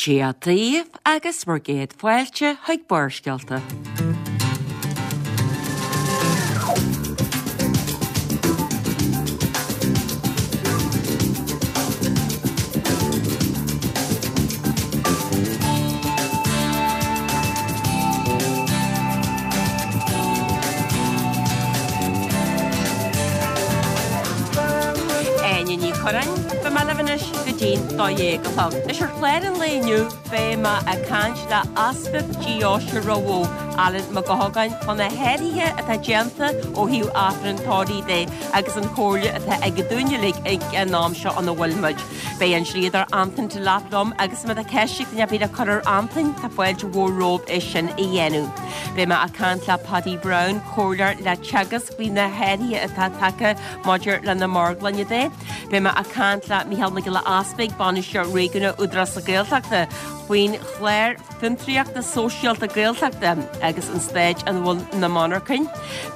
Dia daoibh agus bhur gcéad fáilte chuig Barrscéalta. Áine Ní Churráin, beidh mé libh anois go dtí'n 12 a chlog. Anois ar chlár an lae inniu beidh mé ag caint le Easpag Deoise Ráth Bhoth, Alan Mac Eochagáin, fá na hathruithe atá déanta ó thaobh Aifreann tórraimh de agus an chomhairle atá aige dúinn uilig ag an am seo ina bhfuil muid. Beidh an dlíodóir Antain Delap liom agus má tá ceist ag duine ar bith le cur ar Antain, tá fáilte mhór romhaibh é sin a dhéanamh. Beidh mé ag caint le Paddy Browne, comhairleoir le Teagasc faoi na hathruithe atá tagtha maidir le na marglainne de. Beidh mé ag caint le Mícheál Mac Giolla Easpaig, Bainisteoir Réigiúnach Údarás na Gaeltachta, faoin chlár Fiontraíochta Sóisialta Gaeltachta agus an staid ina bhfuil na monarchain.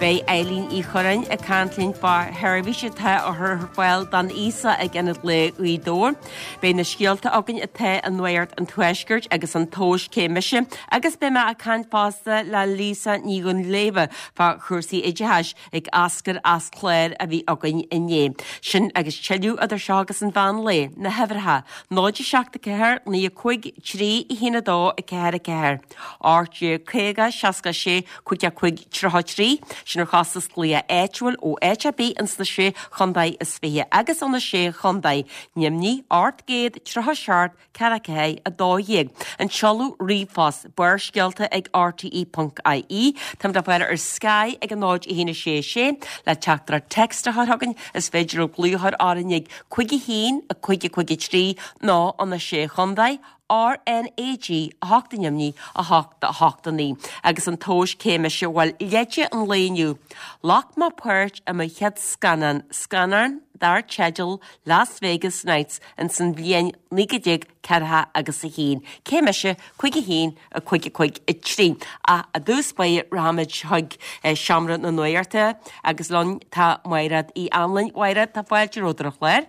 Beidh Eileen Uí Churráin ag caint linn fá sheirbhís atá á chur ar fáil don aosach ag Ionad Lae Ghaoth Dobhair. Beidh na scéalta againn atá i Nuacht an Tuaiscirt agus an tomhas Cé Mise agus beidh mé ag caint fosta le Lisa Ní Dhuinnshléibhe fá chúrsaí oideachais. ag eascair as clár a bhí againn inné. Sin agus tuilleadh idir seo agus an mheán lae, na huimhreacha, 0 7 4 9 5 3 1 2 4 4, 18 50 66 55 33, sin ar chostas glaoch áitiúil ó áit ar bith ins na Sé Chontae is Fiche agus ó na Sé Chontae, Nimhní, 837 44 12. An seoladh ríomhphost, Barrscéalta ag rte ponc ie. Táimid le fáil ar Sky ag 0 1 6 6 le teachtaireacht text a chur chugainn. Is féidir libh glaoch a chur orainn ag 5 1 5 5 3 nó ó na Sé Chontae, RnaG 8 i nDoimní, 8 8 9. Agus an tomhas cé mise bhuel leide an lae inniu. Ghlac mé páirt i mo chéad scannán, scannán dar teideal Las Vegas Nights ins an bhliain 1940 agus a haon. Cé mise? 5 1 5 5 3. Ach i dtús báire rachaimid chuig seomra na nuachta agus linn tá Mairéad Uí Anluain. Mhairéad, tá fáilte romhat ar an chlár.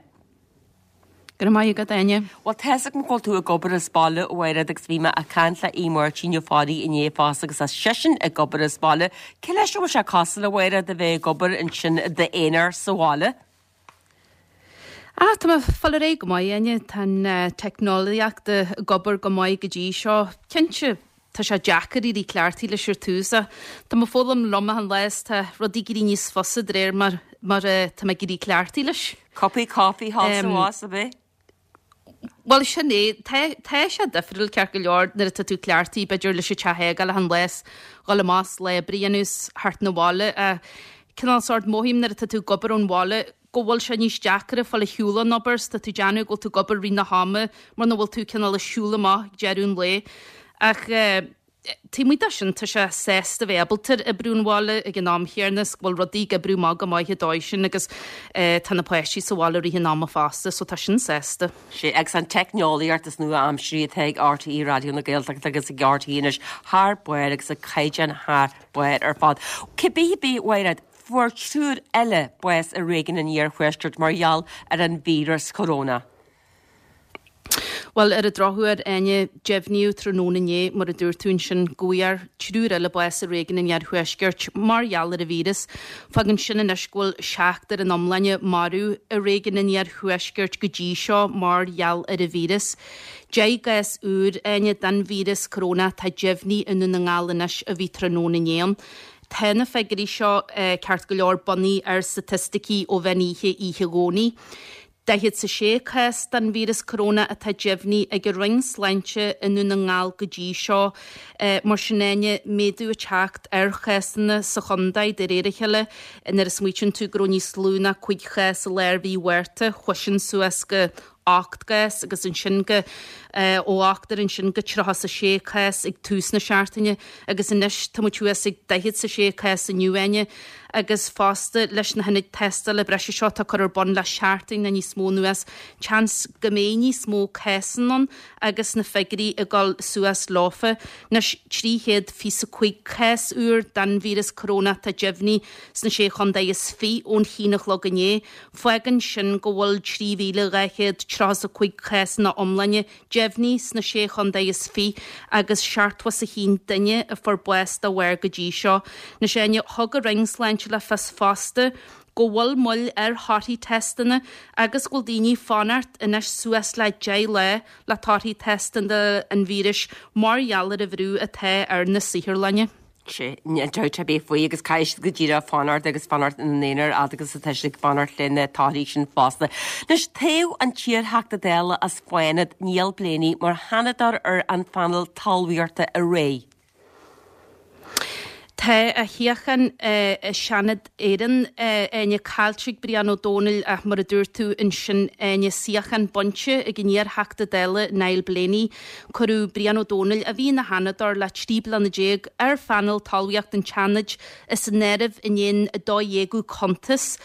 Go raibh maith agat, Áine. Bhuel, tá's agam go bhfuil tú ag obair as baile, a Mhairéad, agus bhí mé ag caint le Aodh Máirtín Ó Fearraigh inné fosta agus tá seisean ag obair as baile. Cé leis a bhfuil sé cosúil, a Mhairéad, a bheith ag obair ansin i d'aonar sa bhaile? Ah, tá mé ag fáil ar aghaidh go maith, Áine. Tá an teicneolaíocht ag obair go maith go dtí seo. Cinnte, tá sé deacair éirí cleachtaithe leis ar tús ach tá mé ag foghlaim liom achan lá is tá rudaí ag éirí níos fusa de réir mar mar tá mé ag éirí cleachtaithe leis. Cupaí coffee thall is abhus, ab é? Bhuel, sin é. Tá, tá sé difriúil ceart go leor nuair atá tú cleachtaithe, b'fhéidir, leis an teach a fhágáil achan lá is dhul amach is lá oibre a dhéanamh is theacht 'na bhaile. Ach cineál sórt mothaím nuair atá tú ag obair ón bhaile go bhfuil sé níos deacra fáil ar shiúl ón obair is tá tú ag déanamh go bhfuil tú ag obair rith na hama mura bhfuil tú cineál ag siúl amach ag deireadh an lae. Ach eh, Taobh amuigh de sin, tá sé sásta bheith ábalta oibriú ón bhaile ag an am chéanna is go bhfuil rudaí ag oibriú maith go maith an dóigh sin agus tá na páistí sa bhaile rith an ama fosta so tá sin sásta. Sea, agus an teicneolaíocht is nua-aimsirí atá ag RTÉ Raidió na Gaeltachta agus ag RTÉ anois thar barr agus ag caighdeán thar barr ar fad. Cibé ar bith, a Mhairéad, fuair triúr eile bás i réigiún an Iarthuaiscirt mar gheall ar an víreas corona. Bhuel, ar an drochuair, Áine, deimhníodh tráthnóna inné, mar a dúirt tú ansin, go bhfuair triúr eile bás i réigiún an Iarthuaiscirt mar gheall ar an víreas. Fágann sin anois go bhfuil seachtar in iomláine marbh i réigiún an Iarthuaiscirt go dtí seo mar gheall ar an víreas. 10 gcás úr, Áine, den víreas corónach atá deimhnithe i nDún na nGall anois a bhí tráthnóna inné ann. Tá na figiúirí seo, ceart go leor, bunaithe ar staitisticí ó mheán oíche oíche Dhomhnaigh. 46 cás den víreas coróna atá deimhnithe ag an Roinn Sláinte i nDún na nGall go dtí seo. Mar sin Áine, méadú ag teacht ar chásanna sa chontae de réir a chéile. Nuair a smaoitíonn tú go raibh níos lú ná 5 chás i lár mhí Mhárta, chuaigh sin suas go 8 gcás agus ansin go ó ochtar ansin go 36 cás ag tús na seachtaine agus anois tá muid thuas ag 46 cás inniu, Áine. agus fosta leis na hionaid tástála breise seo atá curtha ar bun le seachtain nó níos mó anuas, seans go mbeidh níos mó cásanna ann agus na figiúirí ag dul suas leofa. Anois, 325 cás úr den víreas corónach atá deimhnithe sna Sé Chontae is Fiche ón haon a chlog inné. Fágann sin go bhfuil 3,236. 35 cás ina iomláine deimhnithe sna Sé Chontae is Fiche agus 71 duine a fuair bás dá bharr go dtí seo. Anois Áine, thug an Roinn Sláinte le fios fosta go bhfuil moill ar thorthaí teisteanna agus go bhfuil daoine ag fanacht anois suas le 10 lá le torthaí teisteanna an víris mar gheall ar an bhrú atá ar na saotharlanna. Sea, níl dabht ar bith faoi agus caithfidh siad go díreach fanacht agus fanacht ina n-aonar fhad agus atá siad ag fanacht le na torthaí sin fosta. Anois, toghadh an t-iarTheachta Dála as Fánaid, Niall Blaney, mar Sheanadóir ar an phainéal talmhaíochta aréir. Tá a shuíochán i Seanad Éireann, Áine, caillte ag Brian Ó Domhnaill ach mar a dúirt tú ansin, Áine, suíochán bainte ag an iarTheachta Dála Niall Blaney. Cuireadh Brian Ó Domhnaill, a bhí ina Sheanadóir le 13 bliana, ar phainéal talmhaíochta an tSeanaid as an áireamh i ndiaidh an 12ú cuntas.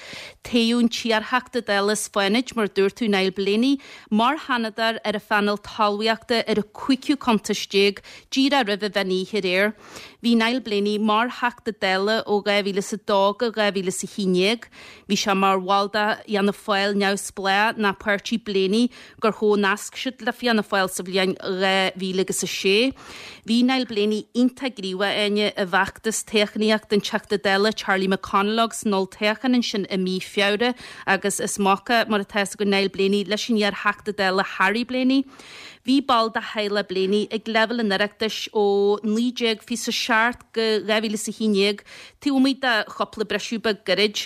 Toghadh an t-iarTheachta Dála as Fánaid, mar a dúirt tú, Niall Blaney, mar Sheanadóir ar an phainéal talmhaíochta ar an cúigiú cuntas déag, díreach roimh an mheán oíche aréir. Bhí Niall Blaney mar Theachta Dála ó 2002 go 2011. Bhí sé mar bhall de Fhianna Fáil Neamhspleách nó Páirtí Blaney gur chomhnasc siad le Fianna Fáil sa bhliain 2006. Bhí Niall Blaney iontach gníomhach, Áine, i bhfeachtas toghchánaíochta an Teachta Dála Charlie McConalogue san olltoghchán ansin i mí Feabhra agus is mac é, mar atá fhios againn, Niall Blaney leis an iar-Theachta Dála Harry Blaney. Bhí ball de theaghlach Blaney ag leibhéal an Oireachtais ó 1927 go 2011, taobh amuigh de chúpla briseadh beag gairid.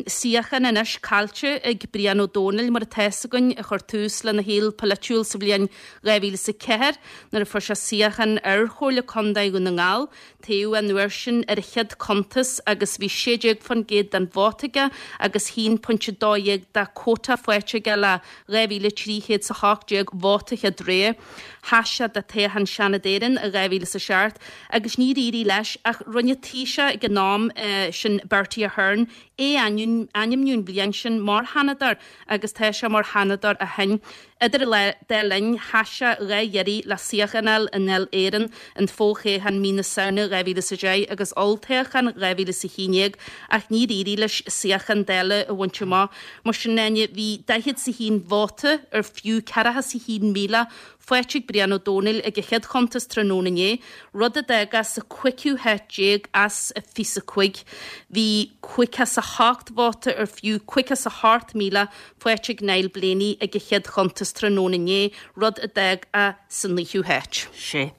Suíochán anois caillte ag Brian Ó Domhnaill, mar atá fhios againn, a chuir tús lena shaol polaitiúil sa bhliain 2004 nuair a fuair sé suíochán ar Chomhairle Contae Dhún na nGall. Toghadh an uair sin ar a chéad chuntas agus bhí 16% den vóta aige agus 1.12 de quota faighte aige le 2,318 vóta chéad rogha. Sheas sé do toghchán Seanad Éireann i 2007 agus níor éirigh leis ach rinne Taoiseach ag an am sin Bertie Ahern é a ainmniú an bhliain sin mar Sheanadóir agus tá sé mar Sheanadóir ó shin. Idir an dá linn, sheas sé 2 iarraidh le suíochán a fháil i nDáil Éireann, an fo-thoghchán mí na Samhna 2010 agus olltoghchán 2011, ach níor éirigh leis suíochán Dála a bhaint amach. Mar sin, Áine, bhí 41 vóta, ar fiú 41,000, faighte ag Brian Ó Domhnaill ag a chéad chuntas tráthnóna inné, rud a d'fhág é sa chúigiú háit déag as 25. Bhí 58 vóta, ar fiú 58,000, faighte ag Niall Blaney ag a chéad chuntas tráthnóna inné, rud a d'fhág é sa naoú háit. Sea.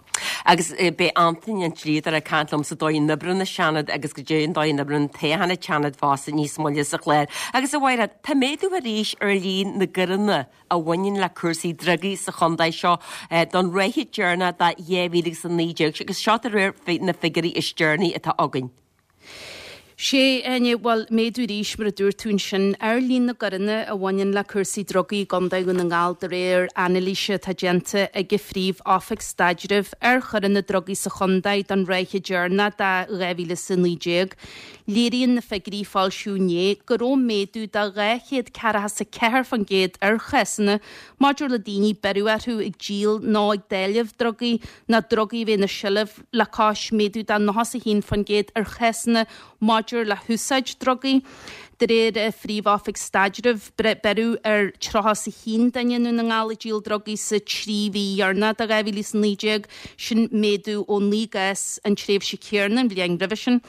Agus beidh Antaine an Dlíodóir ag caint liomsa dóigh a n-oibreann an Seanad agus goidé an dóigh a n-oibreann an toghchán an tSeanaid fosta níos moille sa chlár. Agus a Mhairéad, tá méadú arís ar líon na gcoireanna a bhaineann le cúrsaí drugaí sa chontae seo don ráithe deireanach de 2019 agus seo de réir na figiúirí is deireanaí atá againn. Sea, Áine, bhuel, méadú arís, mar a dúirt tú ansin, ar líon na gcoireanna a bhaineann le cúrsaí drugaí i gContae Dhún na nGall de réir anailíse atá déanta ag an Phríomh-Oifig Staidrimh ar choireanna drugaí sa chontae don ráithe deireanach de 2019. Léiríonn na figiúirí a foilsíodh inné go raibh méadú de 244% ar chásanna maidir le daoine beireadh orthu ag díol nó ag dáileamh drugaí nó drugaí a bheith ina seilbh le cois méadú de 91% ar chásanna maidir le húsáid drugaí. De réir an Phríomh-Oifig Staidrimh, beireadh ar 31 duine i nDún na nGall ag díol drugaí sa trí mhí dheireanach de 2019, sin méadú ó 9 gcás an tréimhse chéanna an bhliain roimhe sin.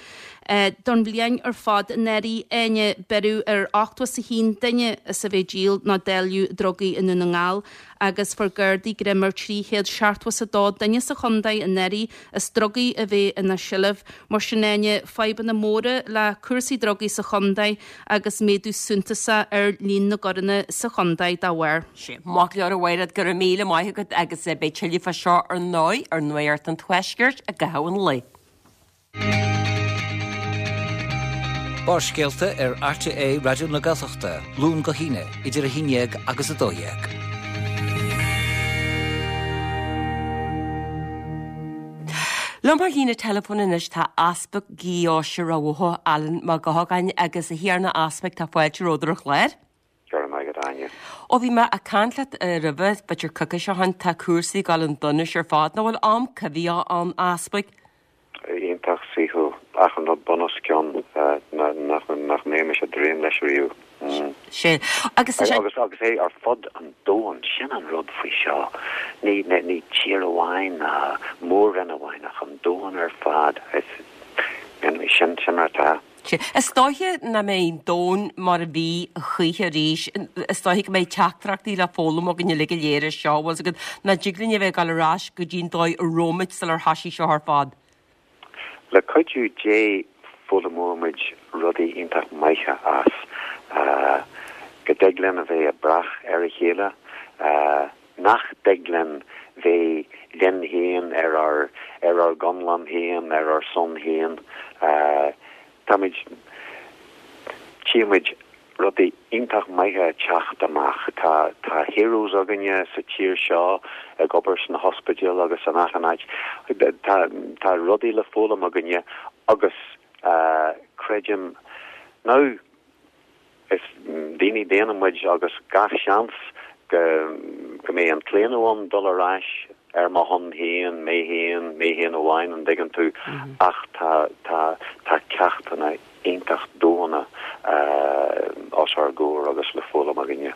Don bhliain ar fad anuraidh, Áine, beireadh ar 81 duine as a bheith ag díol nó dáileadh drugaí i nDún na nGall agus fuair Gardaí greim ar 372 duine sa chontae anuraidh as drugaí a bheith ina seilbh. Mar sin, Áine, fadhbanna móra le cúrsaí drugaí sa chontae agus méadú suntasach ar líon na gcoireanna sa chontae dá bharr. Sea, maith go leor a Mhairéad, go raibh míle maith agat agus beidh tuilleadh fá seo ar ndóigh ar Nuacht an Tuaiscirt i gcaitheamh an lae. Barrscéalta ar RTÉ Raidió na Gaeltachta, Luan go hAoine, idir 11 agus 12. Liom ar líne teileafóin anois tá Easpag Dheoise Ráth Bhoth, Alan Mac Gabhann agus a Thiarna Easpaig tá fáilte romhat ar an chlár. Go raibh maith agat, Áine. Ó bhí mé ag caint leat roimhe, b'fhéidir coicís ó shin, tá cúrsaí ag dul chun donais ar fad. Nach bhfuil am coimhthíoch ann, a Easpaig? Iontach saoithiúil. Achan rud bunoscionn nach mbeimis ag dréim leis riamh. Sea. Agus tá sé. Agus agus é ar fud an domhain, sin an rud faoi seo. Ní ní tír amháin ná mór-roinn amháin ach an domhan ar fad. Is sin sin mar atá. Sea. Is dóiche nach mbeidh an domhan mar a bhí a choíche arís. Is dóiche go mbeidh teachtaireachtaí le foghlaim againn uilig go léir as seo, bhfuil 's agat, nach dtig linn a bheith ag dul ar ais go dtí an dóigh a raibh muid sular thoisigh seo ar fad. Le cuidiú Dé foghlaimeoidh muid rudaí iontach maithe as. Go dtig linn a bheith ag brath ar a chéile, nach dtig linn bheith linn féin ar ár ar ár gconlán féin, ar ár son féin. Táimid, tchímid rudaí iontach maithe ag teacht amach. Tá tá heroes againne sa tír seo ag obair sna hospidéil agus in achan áit. Tá tá rudaí le foghlaim againne agus creidim now is daoine daonna muid agus gach seans go go mbeidh an claonadh ann dul ar ais ar mo shon féin, mé féin, mé féin amháin, an dtuigeann tú, ach tá tá tá ceachtanna iontach domhanda os ár gcomhair agus le foghlaim againne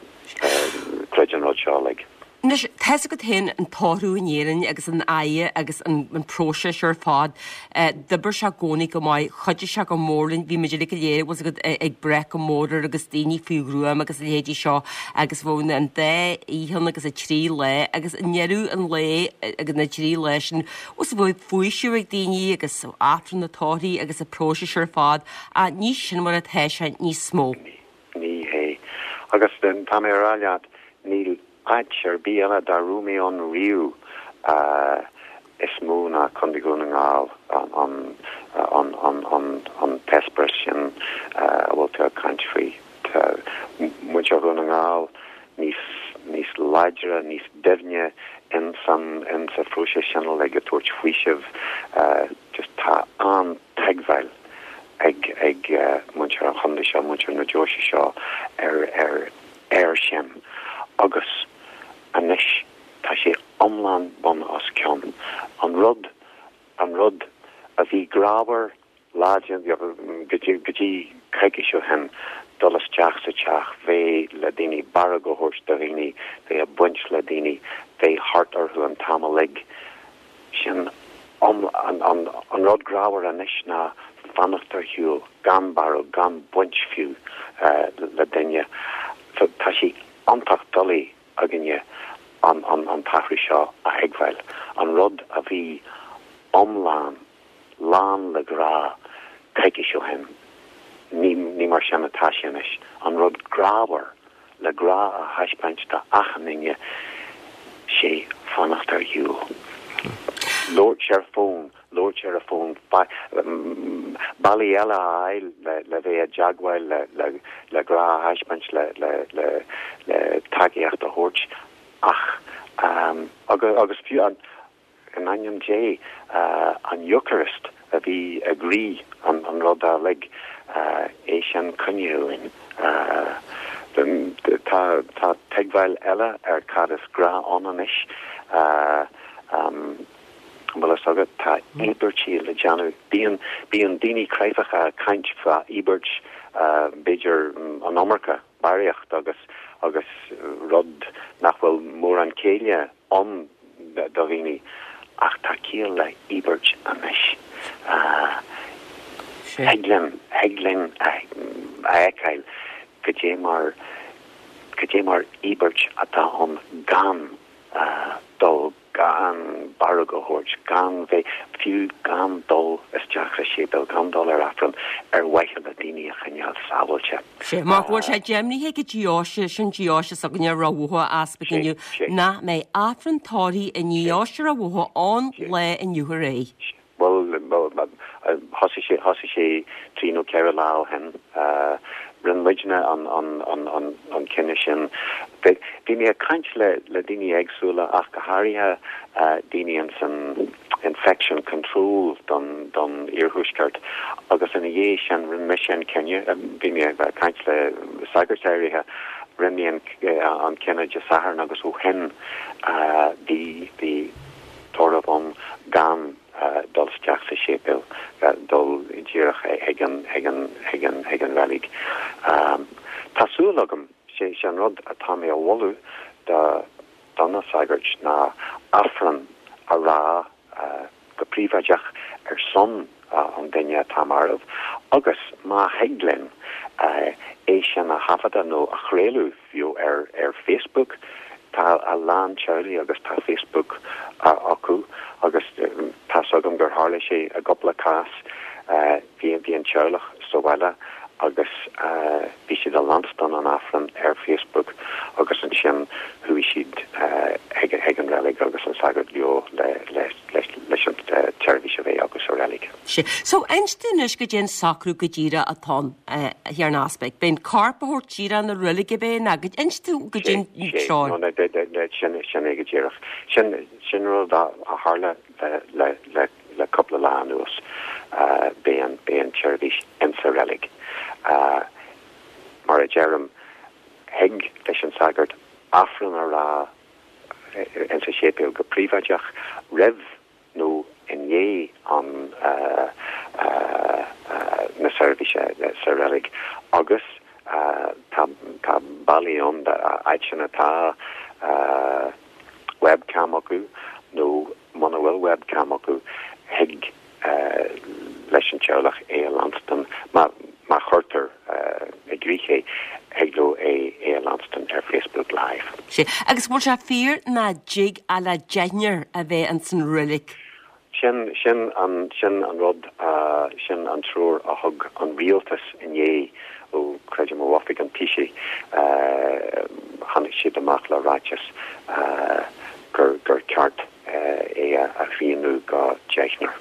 tríd an rud seo uilig. Anois, tá's agat féin an tórramh in Éirinn agus an fhaire agus an próiseas ar fad. D'oibir sé i gcónaí go maith, chuidigh sé go mór linn, bhí muid uilig go léir, bhfuil 's agat, ag brath go mór air agus daoine faoi ghruaim agus a leithéidí seo agus bheadh an dá oíche ann agus an trí lá agus i ndeireadh an lae agus na dtrí lá sin, bhfuil 's agat, bheadh faoiseamh ag daoine agus Aifreann na tórraimh agus an próiseas ar fad ach ní sin mar atá sé níos mó. Ní hé. Agus tá mé a rá leat, níl áit ar bith eile dá raibh mé ann riamh is mó ná Contae Dhún na nGall an an an an t-eispéireas sin a bhfuil tú ag caint faoi. Tá muintir Dhún na nGall níos níos láidre, níos doimhne in san in sa phróiseas sin uilig, ag tabhairt faoisimh. Just tá an-tuigbheáil ag ag muintir an chontae seo, muintir na deoise seo ar ar air sin agus anois tá sé iomlán bun os cionn. An rud an rud a bhí grámhar lá go dtí go dtí coicís ó shin, dul isteach sa teach, bheith le daoine, barróg a thabhairt do dhaoine, bheith ag baint le daoine, bheith thart orthu an t-am uilig, sin an an rud grámhar anois ná fanacht ar shiúl, gan barróg, gan baint fiú le duine. So tá sé iontach doiligh againne an an t-athrú seo a thuigbheáil. An rud a bhí iomlán lán le grá coicís ó shin, ní ní mar sin atá sé anois. An rud grámhar le grá a thaispeáint do achan duine, sé fanacht ar shiúl. Labhairt ar fón, labhairt ar an bhfón, bealaí eile a fháil le bheith i dteagmháil, le grá a thaispeáint, le tacaíocht a thabhairt ach agus fiú an In ainm Dé, an Eocairist a bhí i gcroí an ruda uilig, é sin coinnithe uainn. Tá tuigbheáil eile ar cad is grá ann anois. An bhfuil fhios agat, tá íobairtí le déanamh. Bíonn bíonn daoine cráifeacha ag caint fá íobairt, b'fhéidir an iomarca, barraíocht agus agus rud nach bhfuil mórán céille ann do dhaoine ach tá ciall le íobairt anois. Thig linn, thig linn a fheiceáil goidé mar, goidé mar íobairt atá ann gan dul, gan barróg a thabhairt, gan bheith, fiú gan dul isteach sa séipéal, gan dul ar Aifreann ar mhaithe le daoine a choinneáil sábháilte. Sea, mar go bhfuil sé deimhnithe ag an deoise, sin deoise s'againne Ráth Bhoth a Easpaig inniu, nach mbeidh Aifreann tórraimh i ndeoise Ráth Bhoth ón lá inniu ar aghaidh. Bhuel, thosaigh sé, thosaigh sé trí nó ceithre lá ó shin. Rinne muidne an cinneadh sin. Bhí mé ag caint le daoine éagsúla ach go háirithe daoine ins an infection control don don iarthuaisceart agus ina dhiaidh sin rinne mise an cinneadh, bhí mé ag caint le sagairt áirithe, rinne mé an an cinneadh Dé Sathairn agus ó shin bhí bhí tórramh ann gan dul isteach sa séipéal, dul díreach chuig an chuig an chuig an chuig an reilig. Tá súil. Aifreann a rá go príobháideach ar son an duine atá marbh agus má thig linn é sin a thaifeadadh nó a chraoladh fiú ar ar Facebook, tá a lán teaghlaigh agus tá Facebook acu agus tá's agam gur tharla sé i gcúpla cás, bhí bhí an teaghlach sa bhaile agus bhí siad ag leanstan an Aifreann ar Facebook agus ansin chuaigh siad chuig an reilig agus an sagart leo leis an tseirbhís a bheith acu sa reilig. Sea. So, inis dúinn anois goidé an socrú go díreach atá ann, a Thiarna Easpaig. Beidh an corp á thabhairt díreach 'na reilige ab é nó inis dúinn goidé an treoir. Sea, sin é go díreach. Sin rud a tharla le le Le cúpla lá anuas beidh an beidh an tseirbhís insa reilig. Mar a deirim, thig leis an sagart Aifreann a rá insa séipéal go príobháideach roimh nó i ndiaidh an na seirbhíse sa reilig agus tá tá bealaí ann áiteanna atá webcam acu nó Muna bhfuil webcam acu, thig leis an teaghlach é a leanstan, má chuirtear i gcrích é, thig leo é a leanstan ar Facebook Live. Sea. Agus bhfuil sé fíor nach dtig ach le deichniúr a bheith ins an reilig? Sin, sin an, sin an rud, sin an treoir a thug an rialtas inné, ó, creidim ó oifig an Taoisigh, tháinig siad amach le ráiteas gur gur ceart é a shrianadh go deichniúr.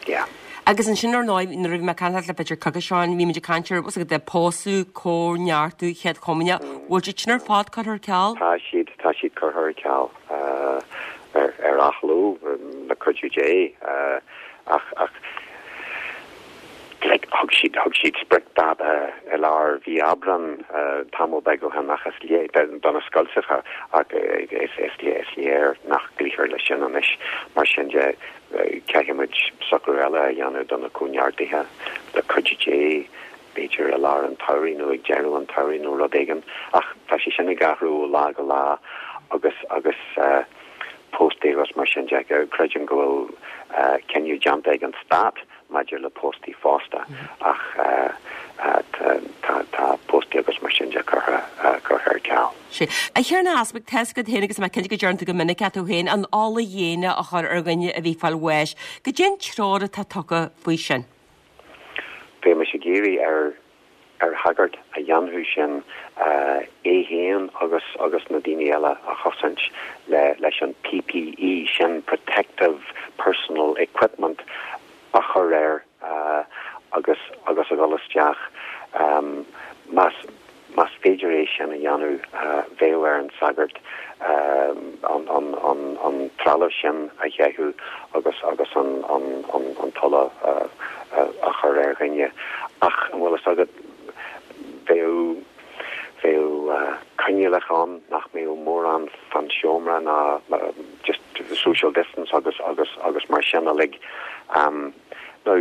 Yeah. Agus ansin ar ndóigh nuair a bhí mé ag caint leat le b'fhéidir coicís ó shin bhí muid ag caint ar what's it the pósadh, cóineartú, chéad chomaoineach, bhfuil siad sin ar fad curtha ar ceal? Tá siad, tá siad curtha ar ceal ar ar athló le cuidiú Dé ach ach Like, thug siad, thug siad spriocdháta i lár mhí Aibreán, tamall beag ó shin ach is léir, do na scoilteacha, ach is, is, is léir nach gcloífear leis sin anois. Mar sin de, caithfidh muid socrú eile a dhéanamh do na cóineartuithe, le cuidiú Dé, b'fhéidir i lár an tsamhraidh nó ag deireadh an tsamhraidh nó rud éigin. Ach tá sé sin ag athrú ó lá go lá agus, agus póstaí agus mar sin de. Creidim go bhfuil cinneadh déanta ag an Stát maidir le póstaí fosta ach tá póstaí agus mar sin de curtha ar ceal. Sea. A Thiarna Easpaig, tá's agat féin agus tá mé cinnte go deireann tú go minic é tú féin, an ola ghéine a chur ar dhuine a bhí ag fáil bháis. Goidé an treoir atá tugtha faoi sin? Bheadh mise ag iarraidh ar ar shagart a dhéanfadh sin é féin agus agus na daoine eile a chosaint le leis an PPE sin, Protective Personal Equipment, a chur air agus agus a dhul isteach. Más más féidir é sin a dhéanamh bheadh ar an sagart an an an an trealamh sin a chaitheamh agus agus an an an an t-ola a chur ar dhuine. Ach an bhfuil fhios agat, bheadh bheadh coinníollacha ann nach mbeadh mórán fán seomra ná just social distance agus agus agus mar sin uilig. Now,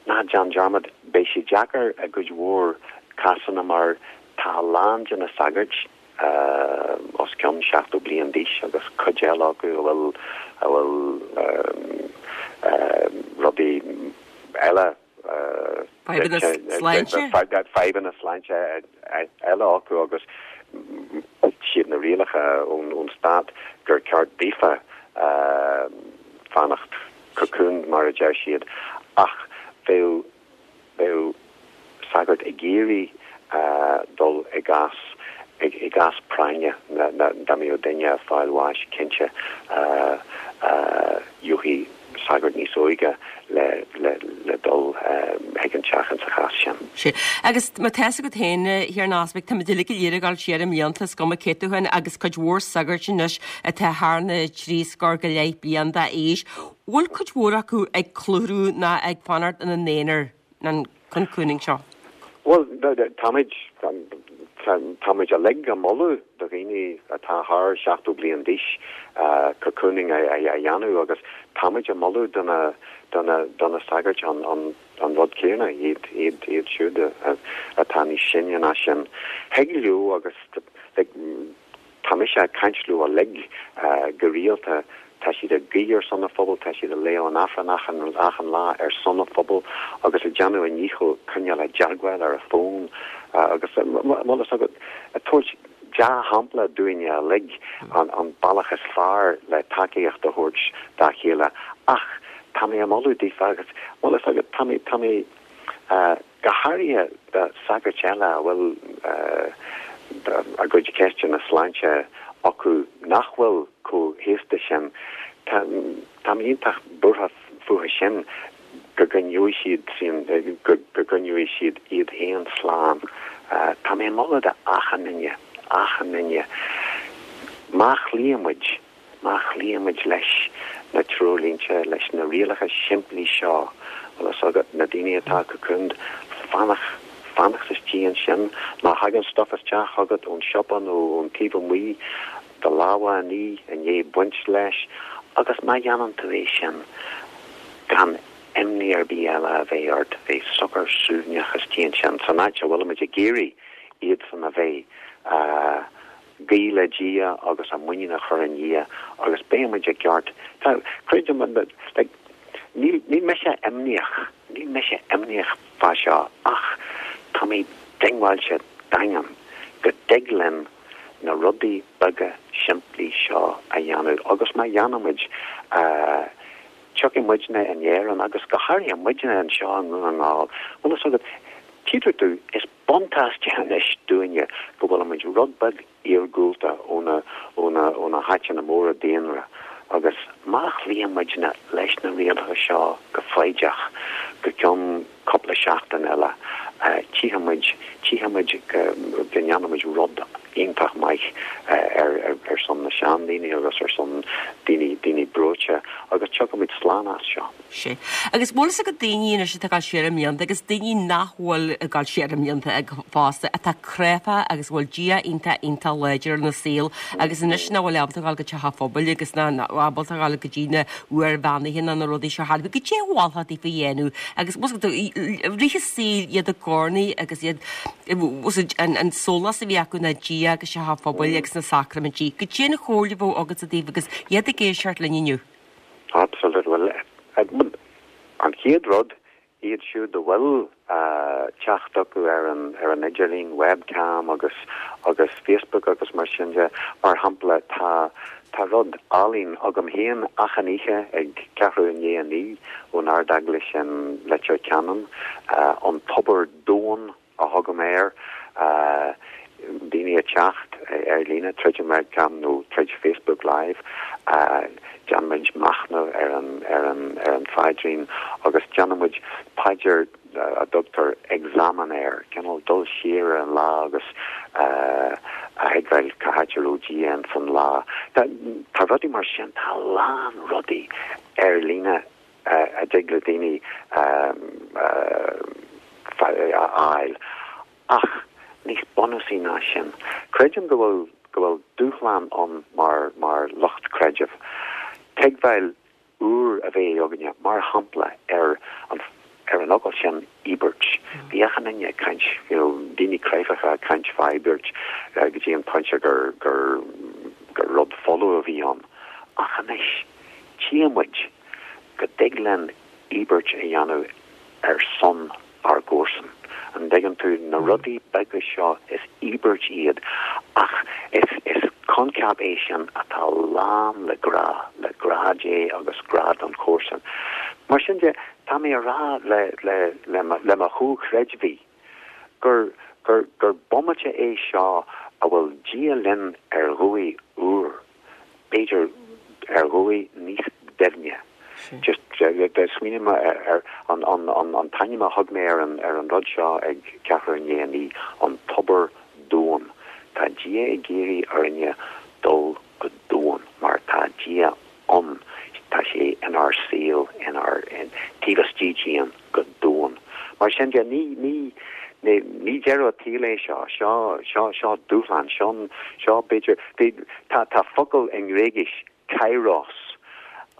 ná déan dearmad, beidh sé deacair i gcuid mhór cásanna mar tá a lán de na sagairt os cionn 70 bliain d'aois agus cuid eile acu a bhfuil a bhfuil rudaí eile Fadhbanna sláinte? Fadhbanna sláinte eile acu agus siad na rialacha ón stát gur ceart daofa fanacht cocooned mar a deir siad ach bheadh bheadh sagart ag iarraidh dul i gcás i gcás práinne dá mbeadh duine ag fáil bháis cinnte gheobhaidh sagart níos óige le le dul chuig an teach insa chás sin. Sea. Agus má tá fhios agat féin, a Thiarna Easpaig, táimid uilig go léir ag dul siar i mblianta, is cuma cé tú féin, agus cuid mhór sagairt anois atá thar na dtrí scór go leith bliain d'aois. Bhfuil cuid mhór acu ag clutharú ná ag fanacht ina n-aonar an cocooning seo? Bhuel, táimid, táimid uilig ag moladh do dhaoine atá thar 70 bliain d'aois cocooning a dhéanamh agus táimid ag moladh do na, do na, do na sagairt an, an, an rud céanna, iad, iad, iad siúd atá níos sine ná sin. Thig leo agus, like, Tá mise ag caint leo uilig go rialta. Tá siad ag guí ar son an phobail, tá siad ag léamh an Aifreann achan, achan lá ar son an phobail agus ag déanamh a ndícheall coinneáil i dteagmháil ar an bhfón agus, bhfuil fhios agat, ag tabhairt dea-shampla dúinne uilig an, an bealach is fearr le tacaíocht a thabhairt dá chéile. Ach tá mé ag moladh daofa agus, bhfuil fhios agat, tá mé, tá mé, go háirithe do sagairt eile a bhfuil a gcuid ceisteanna sláinte acu nach bhfuil chomh haosta sin, tá mé iontach buartha fúthu sin go gcoinneoidh siad sin, go gcoinneoidh siad iad féin slán. Tá mé ag moladh do achan duine, achan duine, má chloíonn muid Má chloíonn muid leis na treoirlínte, leis na rialacha simplí seo, bhfuil fhios agat, na daoine atá cocooned, fanacht, fanacht istigh ansin. Má thagann stuif isteach chugat ón siopa nó ón taobh amuigh, do lámha a ní i ndiaidh baint leis agus má dhéanann tú é sin, gan imní ar bith eile a bheith ort, bheith socair suaimhneach istigh ansin, san áit a bhfuilimid ag iarraidh iadsan a bheith. Guí le Dia agus a muinín a chur i nDia agus beidh muid i gceart. Tá, creidim, like, níl, níl mise imníoch, níl mise imníoch fá seo ach tá mé diongbháilte daingean go dtig linn na rudaí beaga simplí seo a dhéanamh agus má dhéanaimid, eh, tiocfaidh muidne in Éirinn agus go háirithe muidne anseo i nDún na nGall, bhfuil fhios agat, tchítear domh, is buntáiste anois dúinne go bhfuilimid rud beag iargúlta ó na, ó na, ó na háiteanna móra daonra agus má chloíonn muidne leis na rialacha seo go foighdeach go ceann cúpla seachtain eile, tchífidh muid, tchífidh muid go, go ndéanfaidh muid rud iontach maith ar, ar, ar son na seandaoine agus ar son daoine, daoine breoite agus tiocfaidh muid slán as seo. Sea. Agus bhfuil fhios agat daoine anois atá ag dul siar i mblianta agus daoine nach bhfuil ag dul siar i mblianta fosta atá cráifeach agus a bhfuil Dia iontach iontach láidir ina saol agus anois nach bhfuil ábalta a dhul go teach an phobail agus nach ábalta a dhul go dtí na uair bheannaithe ná na rudaí seo thart. Goidé a mholfá daofa a dhéanamh agus bhfuil fhios agat i rith a saoil iad i gcónaí agus iad bhfuil fhios agat an sólás a bhí acu ná Dia agus teach an phobail agus na sacraimintí. Goidé an chomhairle a bheadh agatsa daofa agus iad ag éisteacht linn inniu. Absolutely. Bhuel, an chéad rud, iad siúd a bhfuil teacht acu ar an ar an idirlíon, webcam agus agus Facebook agus mar sin de, mar shampla, tá tá rud álainn agam féin achan oíche ag ceathrú i ndiaidh a naoi ón Ard-Eaglais in Leitir Ceanainn, an Tobar Domhain. a thugaim air, daoine ag teacht ar líne tríd an webcam nó tríd Facebook Live, déanaimid machnamh ar an ar an ar an phaidrín agus déanaimid paidir a dtugtar examen air, cineál dul siar ar an lá agus a thuigbheáil cá háit a raibh Dia ins an lá. Tá rudaí mar sin, tá a lán rudaí ar líne a dtig le daoine a fháil. Ach níos bunúsaí ná sin, creidim go bhfuil go bhfuil dúshlán ann mar mar lucht creidimh, tuigbheáil úr a bheith againne, mar shampla, ar an ar an fhocal sin íobairt. Bhí achan duine ag caint, you know, daoine cráifeacha ag caint fá íobairt go dtí an pointe gur gur gur rud folamh a bhí ann. Ach anois, tchíonn muid go dtig linn íobairt a dhéanamh ar son ár gcomharsan. An dtuigeann tú? Na rudaí beaga seo, is íobairt iad, ach is, is coincheap é sin atá lán le grá, le grá Dé agus grá don chomharsan. Mar sin de, tá mé a rá le, le, le mo, le mo chomhchreidmhigh gur, gur, gur bomaite é seo a bhfuil Dia linn ar dhóigh úr. b'fhéidir ar dhóigh níos doimhne. Just smaoinigh mé ar an an t-ainm a thug mé ar an ar an rud seo ag ceathrú i ndiaidh a naoi, an tobar domhain. Tá Dia ag iarraidh orainne dul go domhain mar tá Dia ann, tá sé inár saol, inár, taobh istigh dínn go domhain. Mar sin de, ní, ní, ní, ní deireadh an tsaoil é seo, seo, seo, seo dúshlán, seo, seo b'fhéidir, bhí, tá, tá focal i nGréigis, kairos,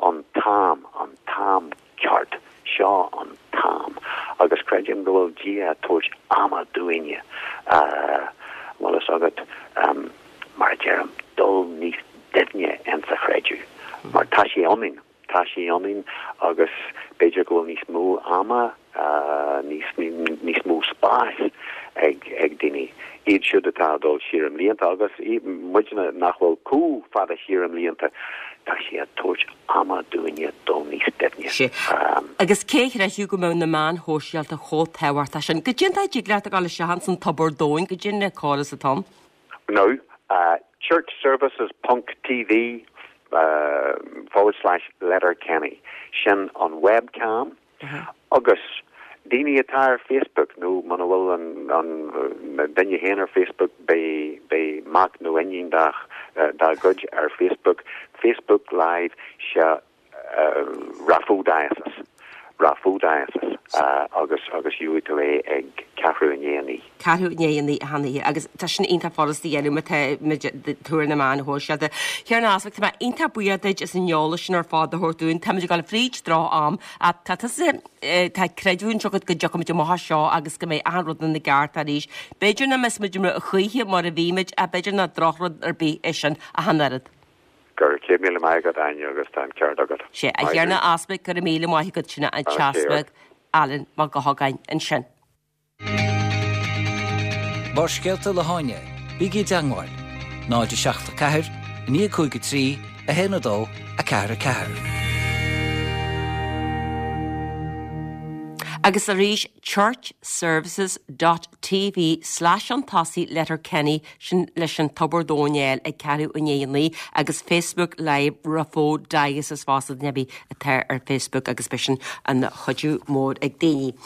an t-am, an t-am ceart, seo an t-am. Agus creidim go bhfuil Dia ag tabhairt ama dúinne, bhfuil fhios agat, mar a deirim, dul níos doimhne insa chreideamh, mar tá. Tá sé ionainn. Tá sé ionainn agus b'fhéidir go bhfuil níos mó ama, níos, níos mó spáis ag, ag daoine. Iad siúd atá ag dul siar i mblianta agus muidne nach bhfuil chomh fada siar i mblianta, tá sé ag tabhairt ama dúinne dul níos doimhne. Sea. Agus cé a chreidfeadh go mbeadh na meáin shóisialta chomh tábhachtach sin? Goidé an dóigh a dtig leat a ghabháil isteach ins an Tobar Domhain, goidé an córas atá ann? Now, churchservices ponc TV forward slash Letterkenny. Sin an webcam agus daoine atá ar Facebook nó muna bhfuil an duine féin ar Facebook beidh beidh mac nó iníon dá dá gcuid ar Facebook, Facebook Live, sea Raphoe Diocese, Raphoe Diocese, agus agus gheobhaidh tú é ag ceathrú i ndiaidh a naoi. Ceathrú i ndiaidh a naoi achan oíche agus tá sin iontach furasta a dhéanamh má tá muid tú ar na meáin shóisialta. A Thiarna Easpaig, tá mé iontach buíoch duit as an eolas sin ar fad a thabhairt dúinn. Táimid ag dul fríd droch-am ach tá tusa, tá creidiúint agat go dtiocfaimid amach as seo agus go mbeidh achan rud ina gceart arís. B'fhéidir nach mbeidh muid amuigh choíche mar a bhí muid ach b'fhéidir nach drochrud ar bith é sin ach an oiread. Go raibh 100,000 maith agat, Áine, agus tá an ceart agat. Sea, a Thiarna Easpaig, go raibh míle maith agat, sin an tEaspag Alan Mac Gabhann ansin. Barrscéalta le hÁine, bígí i dteangmháil, 0 7 4 9 5 3 1 2 4 4. Agus arís, churchservices dot TV slash chun tosaigh Letterkenny sin leis an Tobar Domhain a fháil ag ceathrú i ndiaidh a naoi agus Facebook Live Raphoe Diocese fosta duine ar bith atá ar Facebook agus beidh sin ina chuidiú mór ag daoine.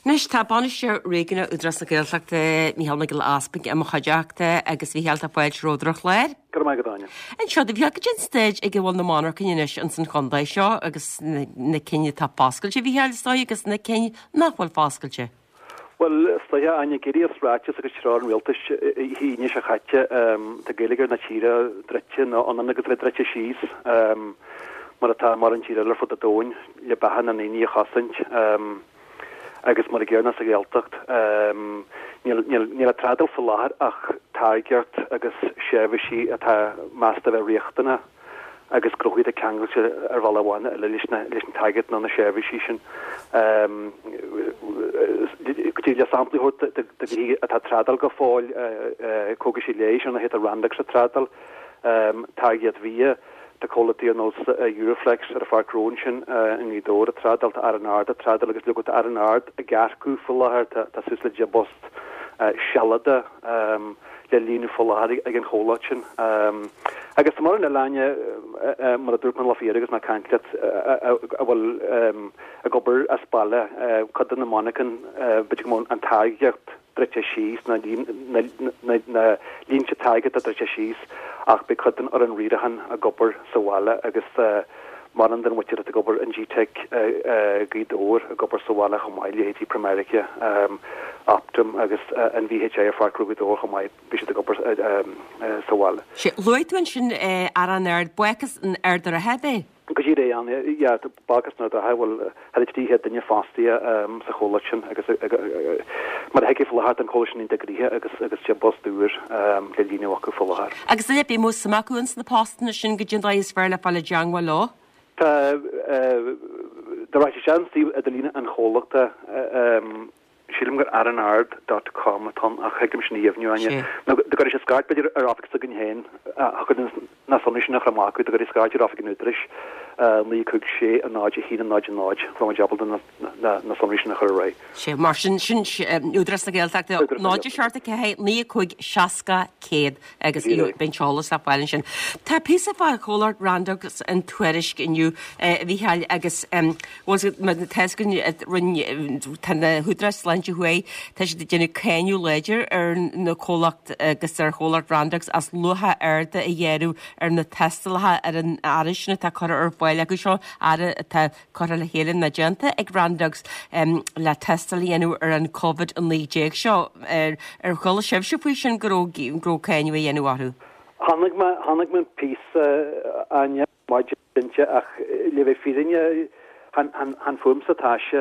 Anois tá Bainisteoir Réigiúnach Údarás na Gaeltachta Mícheál Mac Giolla Easpaig i mo chuideachta agus a Mhícheáil tá fáilte romhat ar an chlár. Go raibh maith agat Áine. Inis domh a Mhícheáil goidé an staid ag a bhfuil na monarchain anois ins an chontae seo agus na cinn atá foscailte a Mhícheáil is dóigh agus na cinn nach bhfuil foscailte. Bhuel, is dóiche, Áine, ag éirí as ráiteas agus treoir an Rialtais Aoine seo chaite, tá geilleagar na tíre druidte, nó ionann agus a bheith druidte síos, mar atá i mórán tír eile ar fud an domhain, le beatha na ndaoine a chosaint. Agus mar an gcéanna sa Ghaeltacht, níl níl á trádáil faoi láthair ach táirgeacht agus seirbhísí atá measta a bheith riachtanach. agus gnóthaí atá ceangailte ar bhealach amháin nó eile leis an táirgeacht nó na seirbhísí sin. Go dtí le samplaí a thabhairt de ghnoithí atá ag trádáil go fóill, cógaisí leighis ar ndóigh tá Randox ag trádáil, táirgeacht bhia, tá comhlachtaí ar nós Euroflex ar an Pháirc Ghnó ansin i nGaoth Dobhair ag trádáil, tá Aran Ard ag trádáil agus leoga tá Aran Ard ag earcú faoi láthair, tá suas le 10 bpost sealadach. le líonadh faoi láthair ag an chomhlacht sin. Agus tá mórán eile Áine, mar a dúirt mé lá faoi dheireadh agus mé ag caint leat, a bhfuil ag obair as baile, cuid de na monarchain, b'fhéidir go mbeadh an táirgeacht druidte síos, na línte táirgeachta druidte síos, ach beidh cuid den fhoireann riaracháin ag obair sa bhaile agus mórán den mhuintir atá ag obair in GTeic Gaoth Dobhair ag obair sa bhaile chomh maith, leithéidí Primerica, Optum agus an VHI ar Pháirc Ghnó Ghaoth Dobhair chomh maith, beidh siad ag obair sa bhaile. Sea, luaigh tú ansin Aran Ard, Bácús an Ard an Rátha, ab é? Go díreach, yeah, Bácús an Ard Rátha, bhuel, thar 300 duine fostaithe sa chomhlacht sin agus mar a thuigfeá faoi láthair tá an comhlacht sin iontach gnoitheach agus agus 10 bpost úr le líonadh acu faoi láthair. Agus duine ar bith a mbeadh suim acu ins na postanna sin goidé an dóigh is fearr le fáil i dteangmháil leo? Tá, dá rachadh isteach ar suíomh idirlíne an chomhlachta, Sílim gur aranard dot com atá ann ach thig liom sin a dheimhniú, Áine. Nó dá gcuirfidh siad scairt b'fhéidir ar oifig s'againn féin, thiocfadh linn na sonraí sin a chur amach acu, dá gcuirfidh scairt ar oifig an Údaráis, 9 5 6 0 1 0 0, bheadh muid ábalta na sonraí sin a chur ar aghaidh. Sea, mar sin, sin Údarás na Gaeltachta, 0 7 4 9 5 60 100 agus beidh an t-eolas le fáil ansin. Tá píosa fá chomhlacht Randox in Tuairisc inniu, a Mhícheáil, agus bhuel mar tá a fhios againn tá na húdaráis sláinte thuaidh, tá siad ag déanamh cáineadh láidir ar na comhlacht agus ar chomhlacht Randox as luacha arda a ghearradh ar na tástálacha ar an earra sin atá curtha ar fáil acu seo, earra atá curtha le chéile nó déanta ag Randox le tástáil a dhéanamh ar an Covid-19 seo. Ar chuala sibhse faoi sin go raibh go raibh cáineadh á dhéanamh orthu? Chonaic mé chonaic mé an píosa Áine maidin cinnte ach le bheith fírinneach chan fúmsa atá sé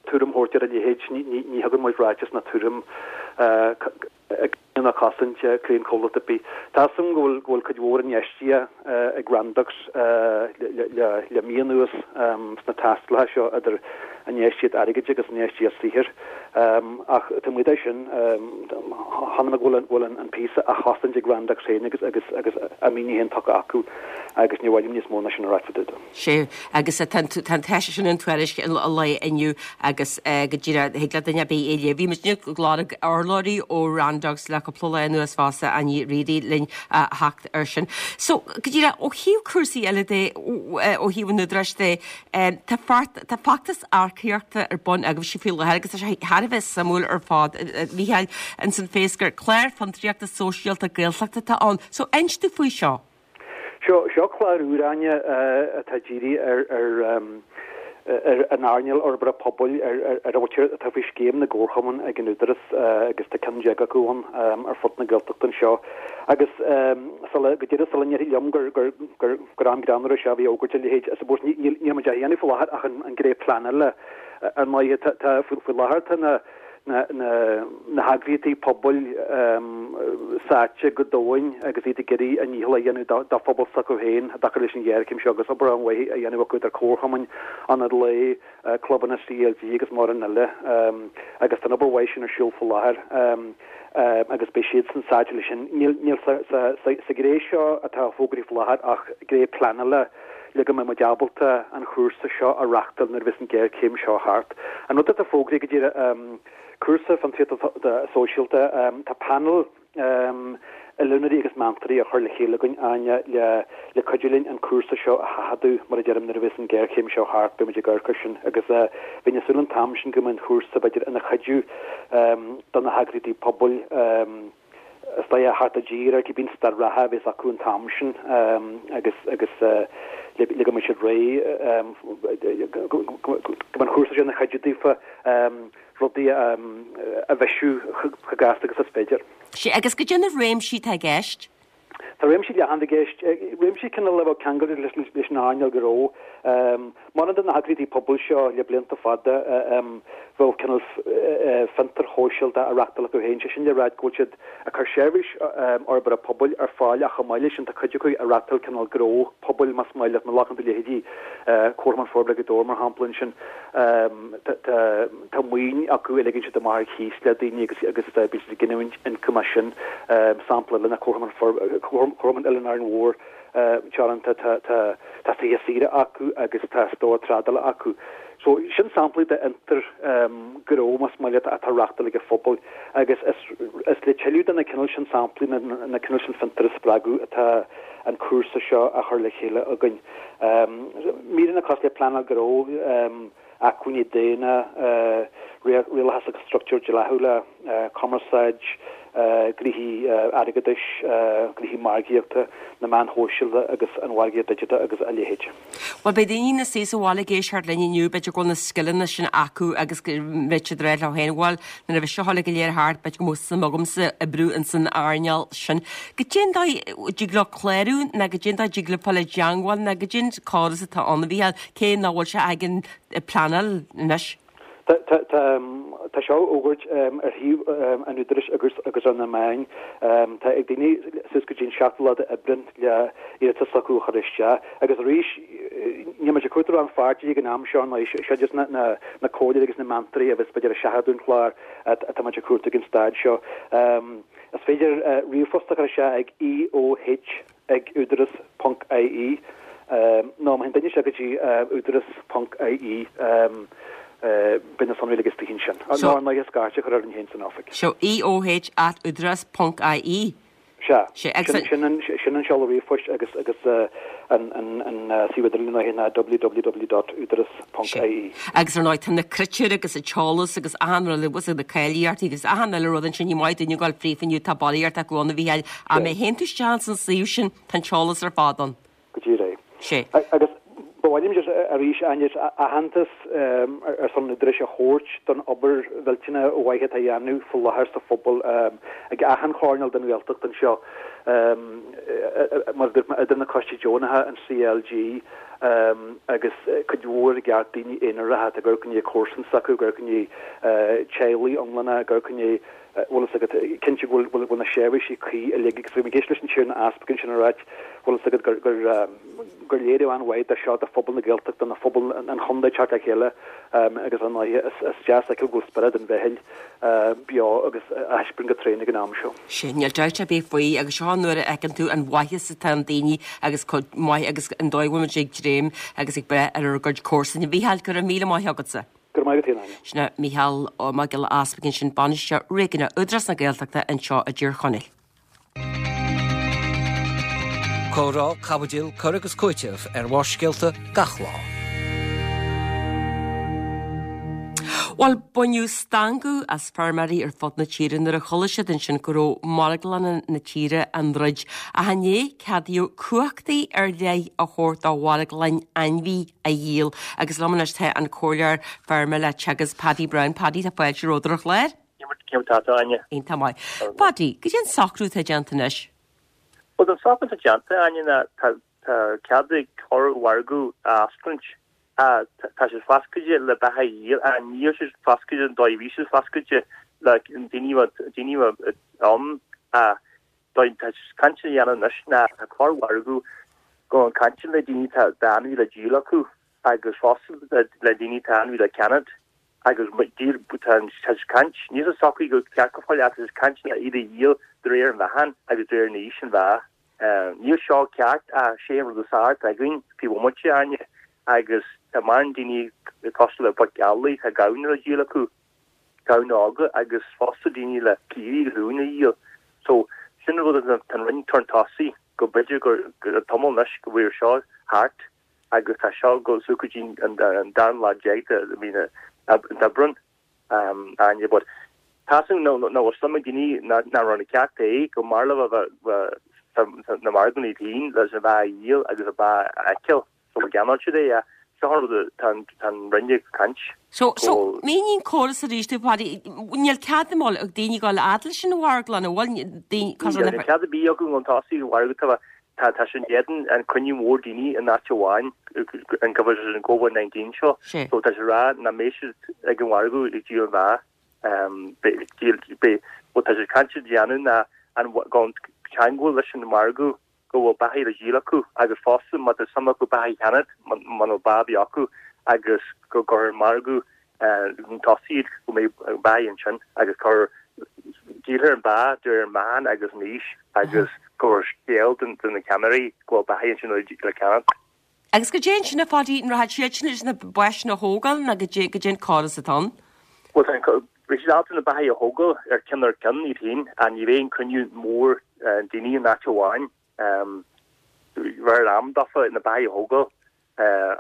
tuairim a thabhairt ar a leithéid. Ní thugann muid ráiteas ná tuairim. Ag cosaint cliantchomhlacht ar bith. Tá 'fhios a'm go bhfuil go bhfuil cuid mhór infheistíochta ag Randox le mí anuas sna tástálacha seo idir infheistíocht airgid agus infheistíocht saothair. Ach taobh amuigh de sin, chonaic mé go bhfuil go bhfuil an píosa á chosaint ag Randox féin agus agus agus a míniú féin tugtha acu agus níor mhaith liom níos mó ná sin a ráit fá dtaobh de. Sea, agus tá an tá sé sin in Tuairisc an lae inniu agus go díreach thig le duine ar bith é a léamh. Bhí muid ag lorg urlabhraí ó Randox le cúpla lá anuas fosta, Áine Reidy linn a theacht air sin. So, go díreach ó thaobh cúrsaí eile de, ó thaobh an Údaráis de, tá tá feachtas earcaíochta ar bun agaibhse faoi láthair agus tá sé thar a bheith suimiúil ar fad, a Mhícheáil, ins an fés gur clár fiontraíochta sóisialta Gaeltachta atá ann. So, inis dúinn faoi seo. Seo, seo clár úr, Áine, atá dírithe ar, ar, ar an earnáil fhorbartha pobail, ar, ar, ar a bhfuiltear, atá faoi scéim na gcomharchumann ag an Údarás agus tá ceann déag acu ann ar fud na Gaeltachta anseo. Agus sula, go díreach sula ndéarfaí liom gur, gur, gur, gur am greannmhar é seo a bheith ag fógairt a leithéid, I suppose ní, níl, níl muid á dhéanamh faoi láthair ach an, an ghné pleanála ar ndóighe. Tá, tá, faoi, faoi láthair tá na, na heagraíochtaí pobail sáite go domhain agus iad ag iarraidh a ndícheall a dhéanamh dá phobal s'acu féin i dtaca leis an ghéarchéim seo agus obair an-mhaith á dhéanamh acu idir comharchumainn, ionaid lae, clubanna CLG agus mórán eile agus tá an obair mhaith sin ar siúl faoi láthair agus beidh siadsan sáite leis sin. Níl sa ghné seo atá fógraithe faoi láthair ach gné pleanála. le go mbeidh muid ábalta an chúrsa seo a reachtáil nuair a bheas an ghéarchéim seo thart. An rud atá fógraithe go díreach, cúrsa fiontraíochta sóisialta, tá panel oiliúnóirí agus meantóirí á chur le chéile againn, Áine, le le cuidiú linn an cúrsa seo a sheachadadh, mar a deirim, nuair a bheas an ghéarchéim seo thart, beidh muid ag amharc air sin agus bheinn ag súil an t-am sin go mbeidh an chúrsa, b'fhéidir, ina chuidiú do na heagraíochtaí pobail, is dóigh a theacht i dtír ar cibé staid reatha a bheas acu an t-am sin agus agus le go mbeidh siad réidh go mbeidh an chúrsa seo ina chuidiú daofa rudaí a bhisiú chomh gasta agus is féidir. Sea, agus goidé na réimsí atá i gceist? Tá réimsí leathan i gceist, réimsí cineál a bheadh ceangailte leis an earnáil gnó. Mórán de na heagraíochtaí pobail seo le blianta fada bheadh cineál fiontair shóisialta á reachtáil acu féin, sé sin le ráit go bhfuil siad ag cur seirbhís fhorbartha pobail ar fáil ach chomh maith leis sin tá cuid acu ag reachtáil cineál gnó pobail más maith leat, má ghlacann tú leithéidí Comharchumann Forbartha Ghaoth Dobhair mar shampla ansin tá maoin acu a ligeann siad amach ar chíos le daoine agus agus bíonn siad ag giniúint ioncaim as sin. Sampla eile ná Comharchumann Oileán Árainn Mhór Teoranta tá tá tá tithe saoire acu agus tá stór trádála acu. So sin samplaí de fhiontar gnó más maith leat atá á reachtáil ag an phobal agus is is le tuilleadh de na cineál sin samplaí na na cineál sin fiontar a spreagadh atá an cúrsa seo á chur le chéile againn. Míreanna cosúil le pleanáil gnó, acmhainní daonna, rialachas agus struchtúir dleathúla, cumarsáid, gnoithí airgeadais, gnoithí margaíochta, na meáin shóisialta agus an mhargaíocht digiteach agus a leithéid. Bhuel, beidh daoine ina suí sa bhaile ag éisteacht linn inniu, b'fhéidir go bhfuil na scileanna sin acu agus go mbeidh siad ag rá leo féin, bhuel, nuair a bheidh seo uilig go léir thart, b'fhéidir go mbeadh suim agamsa oibriú ins an earnáil sin. Goidé an dóigh a dtig leo clárú nó goidé an dóigh a dtig leo fáil i dteangmháil nó goidé an córas atá ann, a Mhícheáil, cé nach bhfuil sé ag an pleanáil anois? Tá seo á fhógairt ar shuíomh an Údaráis agus agus ar na meáin. Tá ag daoine suas go dtí an seachtú lá d'Aibreán le iarratas s'acu a chur isteach. Agus arís, níl muid ag cuartú rannpháirtithe ag an am seo, nó seo just na na comhairleoirí agus na meantóirí a bheas b'fhéidir ag seachadadh an chláir atá muid ag cuartú ag an staid seo. Is féidir ríomhphost a chur isteach ag EOH. ag údaras ponc ie nó má théann duine isteach go dtí údaras ponc ie beidh na sonraí uilig istigh ansin. Nó ar ndóigh scairt a chur orainn féin san oifig. So EOH at údarás ponc ie. Sea. Sin an sin an seoladh ríomhphoist agus agus an an suíomh idirlín ar ndóigh ná www dot údaras ponc ie. Agus ar ndóigh tá na critéir agus an t-eolas agus achan rud agus na cáilíochtaí agus achan uile rud ansin ní maith duine a ghabháil fríofa inniu tá ballraíocht acu ann a Mhícheáil ach má théann tú isteach ins an suíomh sin tá an t-eolas ar fad ann. Go díreach. Sea. Agus ba mhaith liom just arís Áine aitheantas ar son an Údaráis a thabhairt don obair mhillteanach mhaith atá á dhéanamh faoi láthair sa phobal ag achan choirnéal den Ghaeltacht anseo mar a dúirt mé idir na coistí deonacha, an CLG, agus cuid mhór i gceart daoine aonaracha atá ag amharc i ndiaidh comharsan s'acu, ag amharc i ndiaidh teaghlaigh iomlána, ag amharc i ndiaidh. Bhfuil fhios agat, cinnte go bhfuil bhfuil na seirbhísí cuí uilig agus bhí mé ag éisteacht leis an Tiarna Easpag ansin ag ráit, bhfuil fhios agat, gur gur gur léiriú an-mhaith de seo do phobal na Gaeltachta, do phobal an chontae teacht le chéile agus ar ndóighe is is deas a fheiceáil go bhfuil spiorad an mheithil beo agus á thaispeáint go tréan ag an am seo. Sin, níl dabht ar bith faoi agus seo an uair a fheiceann tú an mhaitheas atá in daoine agus chomh maith agus an dóigh a bhfuil muid ag dréim agus ag breith ar ár gcuid comharsan. A Mhícheáil, go raibh míle maith agatsa. Go raibh maith agat féin, Áine. Sin é Mícheál Ó Mac Giolla Easpaig ansin, Bainisteoir Réigiúnach Údarás na Gaeltachta anseo i dTír Chonaill. Comhrá, caibidil, cur agus cúiteamh ar Bharrscéalta gach lá. Bhuel, baineadh stangadh as feirmeoirí ar fud na tíre nuair a chuala siad ansin go raibh marglanna na tíre á ndruid. Ach inné, ceadaíodh cumhachtaí ar leith a thabhairt do mharglainn ainmhí a dhíol. Agus liom anois tá an Comhairleoir Feirme le Teagasc, Paddy Browne. Paddy, tá fáilte romhat ar an chlár. Cén mar tá tú, Áine? Iontach maith. Paddy, goidé an socrú atá déanta anois? Bhuel, an socrú atá déanta, Áine, ná tá cead ag corr-mhargadh a oscailt. Tá siad foscailte le beatha a dhíol, ach níl siad foscailte an dóigh a bhí siad foscailte le daoine daoine ann. Dóigh tá caint á dhéanamh anois ná tá corr-mhargadh go bhfuil caint le daoine tá ainmhí le díol acu agus fosta le daoine tá ainmhí le ceannacht agus tá tá caint níl sé socraithe go ceart go fóill ach tá caint le iad a dhíol de réir an mheáchain agus de réir an aois an bhea. Níl seo ceart ach sé an rud is fearr atá againn faoi bhomaite, Áine, agus tá mórán daoine cosúil le boic eallaigh tá gamhna le díol acu. gamhna óga agus fosta daoine le caoirigh agus uain a dhíol. So, sin an rud atá an Roinn chun tosaigh, go b'fhéidir gur an tamall anois go bhfuil seo thart agus tá seo ag dul suas go dtí an dara lá déag de mhí an Aibreáin, Áine, but tá sin nó nó suim ag daoine nach raibh na ceart é go mb'fhearr leo a bheith na marglanna iad féin leis an bheatha a dhíol agus a bheatha a fheiceáil. So má cheannóidh siad é, seo an rud tá an Roinn ag caint. So, so, mínigh an córas arís dúinn, Paddy, níl cead an bhfuil ag daoine dul fhad leis an mharglann, an bhfuil daoine, cosúil le. Níl cead ar bith acu chun tosaigh an mhargadh, tá, tá, tá sé in éadan an cruinniú mór daoine in áit amháin, an go an Covid-19 seo. So tá sé ag rá nach mbeidh siad ag an mhargadh ag díol an bheatha. Beidh, díol, beidh, bhuel tá sé ag caint a dhéanamh ná an, gan teagmháil leis an margadh go bhfuil beathaí le díol acu agus fosta má tá suim acu beathaí a cheannacht muna bhfuil beatha ar bith acu agus go gcuirfear margadh chun tosaigh iad go mbeidh beathaí ansin agus cur díolfar an beatha de réir an meáchan agus an aois agus cuirfear scéal do na ceannairí go bhfuil beathaí ansin le ceannacht. Agus goidé ansin a Phaddy, an rachaidh siad sin leis na ba sin a thógáil nó goidé goidé an córas atá ann? Bhuel tá an beidh siad ábalta na beathaí a thógáil ar ceann ar ceann iad féin ach ní bheidh an cruinniú mór daoine in áit amháin. Bheadh am dófa na beathaí a thógáil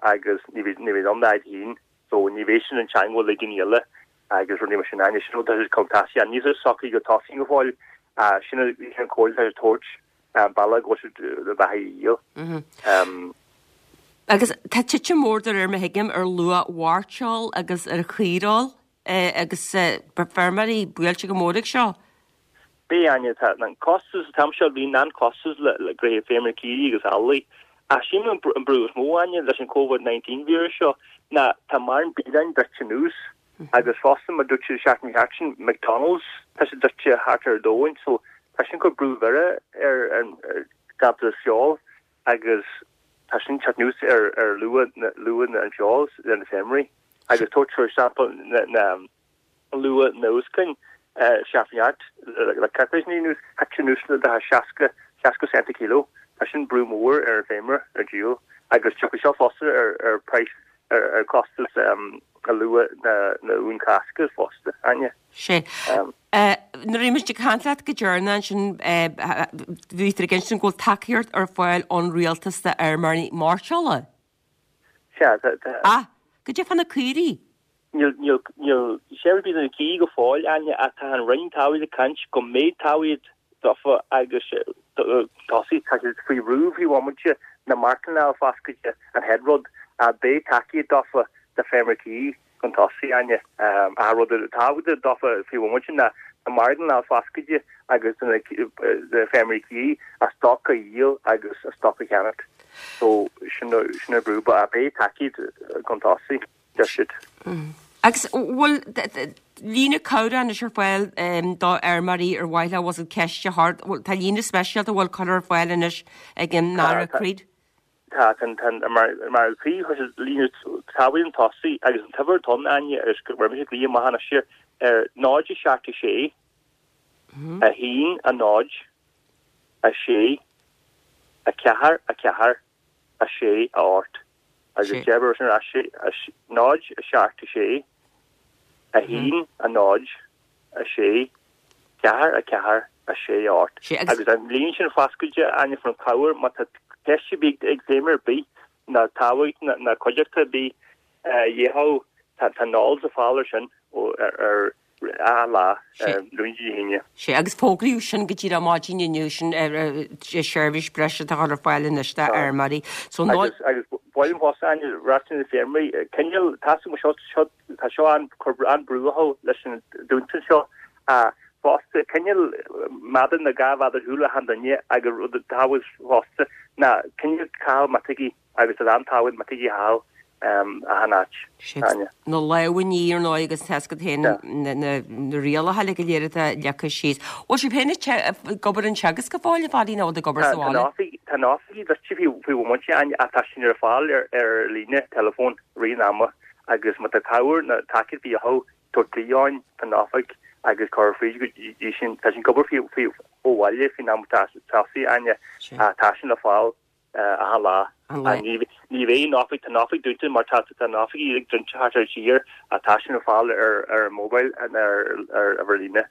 agus ní bheidh ní bheidh ann iad féin so ní bheidh sin an teangmháil le daoine eile agus rudaí mar sin. Áine, sin rud atá siad chun tosaigh níl sé socraithe go tosaigh go fóill ach sin an comhairle atá siad ag tabhairt bealach go bhfuil siad na beathaí a dhíol. Agus tá titim mór de réir mar thuigim ar luach mhairteoil agus ar chaoireoil agus feirmeoirí buailte go mór ag seo. Beidh, Áine, tá an costas, an t-am seo bhíonn an-chostas le gnoithe feirmeoirí caoirigh agus eallaigh. Ach sílim an brú is mó, Áine, leis an Covid-19 víreas seo ná tá mórán bialann druidte anuas Agus fosta, mar dúirt siad seachtain thart sin, McDonalds, tá sé druidte thart ar domhain, so tá sin ag cur brú mhór ar an gcapall feoil agus tá sin teacht anuas ar ar luach luach an feoil ar na feirmeoirí. Agus tabhairt for example na na luach na uascain seachtain thart le coicís anuas, thit sé anuas le 60 60 cent a kilo. Tá sin brú mór ar an feirmeoir ar díol agus tiocfaidh seo fosta ar ar price ar costas a luach na uan Cásca fosta, Áine. Sea. Nuair a bhí muid ag caint leat go deireanach ansin, bhí tú ag insint go bhfuil tacaíocht ar fáil ón rialtas d'fheirmeoirí mairteola. Sea, tá. Ah, goidé fá na caoirigh? Níl, níl, níl seirbhís ar bith do na caoirigh go fóill, Áine, ach tá an Roinn Talmhaíochta ag caint go mbeidh tacaíocht daofa agus tosaigh, tá siad faoi bhrú faoi bhomaite na martlanna a foscailte an chéad rud, ach beidh tacaíocht daofa do feirmeoirí caoirigh chun tosaigh, Áine. Ach rud tábhachtach daofa faoi bhomaite ná na marglanna a foscailte agus do na feirmeoirí caoirigh a stoc a dhíol agus a stoc a cheannacht. So sin an brú, but beidh tacaíocht chun tosaigh, deir siad. Agus bhfuil líne cabhrach anois ar fáil do fheirmeoirí ar mhaith leo bhfuil ceist a chur, tá líne speisialta a bhfuil curtha ar fáil anois ag an Aire Creed? Tá, tá, tá, mar, mar chuir siad líne tábhacht chun tosaigh agus an t-uimhir atá ann, Áine, agus go raibh mise ag glaoch amach anois ar 0 7 6 1 0 6 4 4 6 8 agus déarfaidh sin ar ais 0 7 6 1 0 6 4 4 6 8. Agus an líne sin foscailte, Áine, fá choinne cabhair má tá ceist ar bith ag feirmeoir ar bith ná tábhacht ná cuideachta ar bith a dhéanfadh, tá an eolas ar fáil ar sin ar achan lá, Luan go dtí hAoine. Sea, agus fógraíodh sin go díreach maidin inniu, sin seirbhís breise atá á chur ar fáil anois do fheirmeoirí. So, Agus, agus ba mhaith liom fosta, Áine, ráit na feirmeoirí, cineál, tá a fhios agam seo, seo, tá seo an, cur an-brú orthu leis an dúnta seo, ach fosta, cineál méadar nó 2 mhéadar ar shiúl achan duine agus rud tábhacht fosta ná cineál caitheamh miotógaí agus tá an-tábhacht miotógaí a chaitheamh achan áit. Áine. Na lámha a ní ar ndóigh agus tá a fhios agat féin na rialacha uilig go léir atá leagtha síos. Bhfuil sibh féin ag obair in Teagasc go fóill, a Phadaí, nó bhfuil tú ag obair sa bhaile? Tá na hoifigí druidte faoi bhomaite, Áine, ach tá sin ar fáil ar líne, teileafón, rith an ama agus má tá cabhair nó tacaíocht de dhíth orthu, tabhairt glaoch orainn fán oifig agus cur fríd go dtí sin. Tá sin ag obair faoi ó bhaile faoin am atá tosaithe, Áine, ach tá sin le fáil achan lá. Ní bheidh an oifig, tá an oifig dúnta mar tá tá na hoifigí ag druidte thart ar an tír ach tá sin ar fáil ar ar an mobile ar ar ar líne.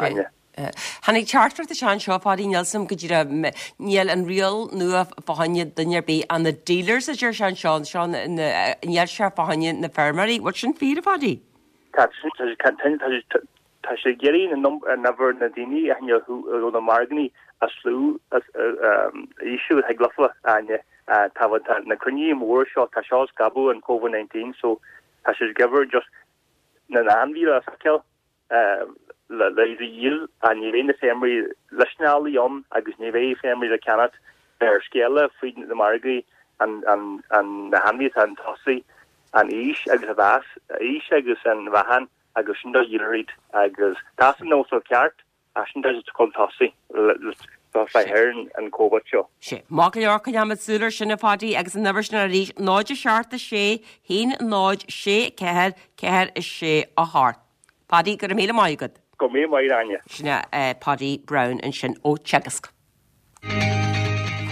Áine. Tháinig teachtaireacht isteach anseo, a Phadaí, níl a fhios agam go díreach, níl an riail nua fá choinne duine ar bith ach na dealers a deir sé anseo, anseo níl sé fá choinne na feirmeoirí. Bhfuil sin fíor, a Phadaí? Tá, tá, tá sé ag iarraidh an uimhir na daoine a tháinig ó na margaí a slú a ísliú thig leofa, Áine. Tá na cruinnithe móra seo, tá seo ag scaipeadh an Covid-19 so tá sé ag uimhir just na n-ainmhí le feiceáil le iad a dhíol ach ní bheidh na feirmeoirí liostáilte ann agus ní bheidh feirmeoirí le ceannacht beir scéala fríd na margaí an na hainmhithe atá chun tosaigh an aois agus a mheas, aois agus an mheáchan agus sin do dhíolfar iad agus tá san nós ceart ach sin tá siad chun tosaigh le thar an Covid seo. Sea. Maith go leor, coinneoimid súil ar sin a Phadaí agus an uimhir sin arís, 0 7 6 1 0 6 4 4 6 8. Padaí, go raibh míle maith agat. Go raibh míle maith agat, Áine. Sin é Padaí Browne ansin ó Teagasc.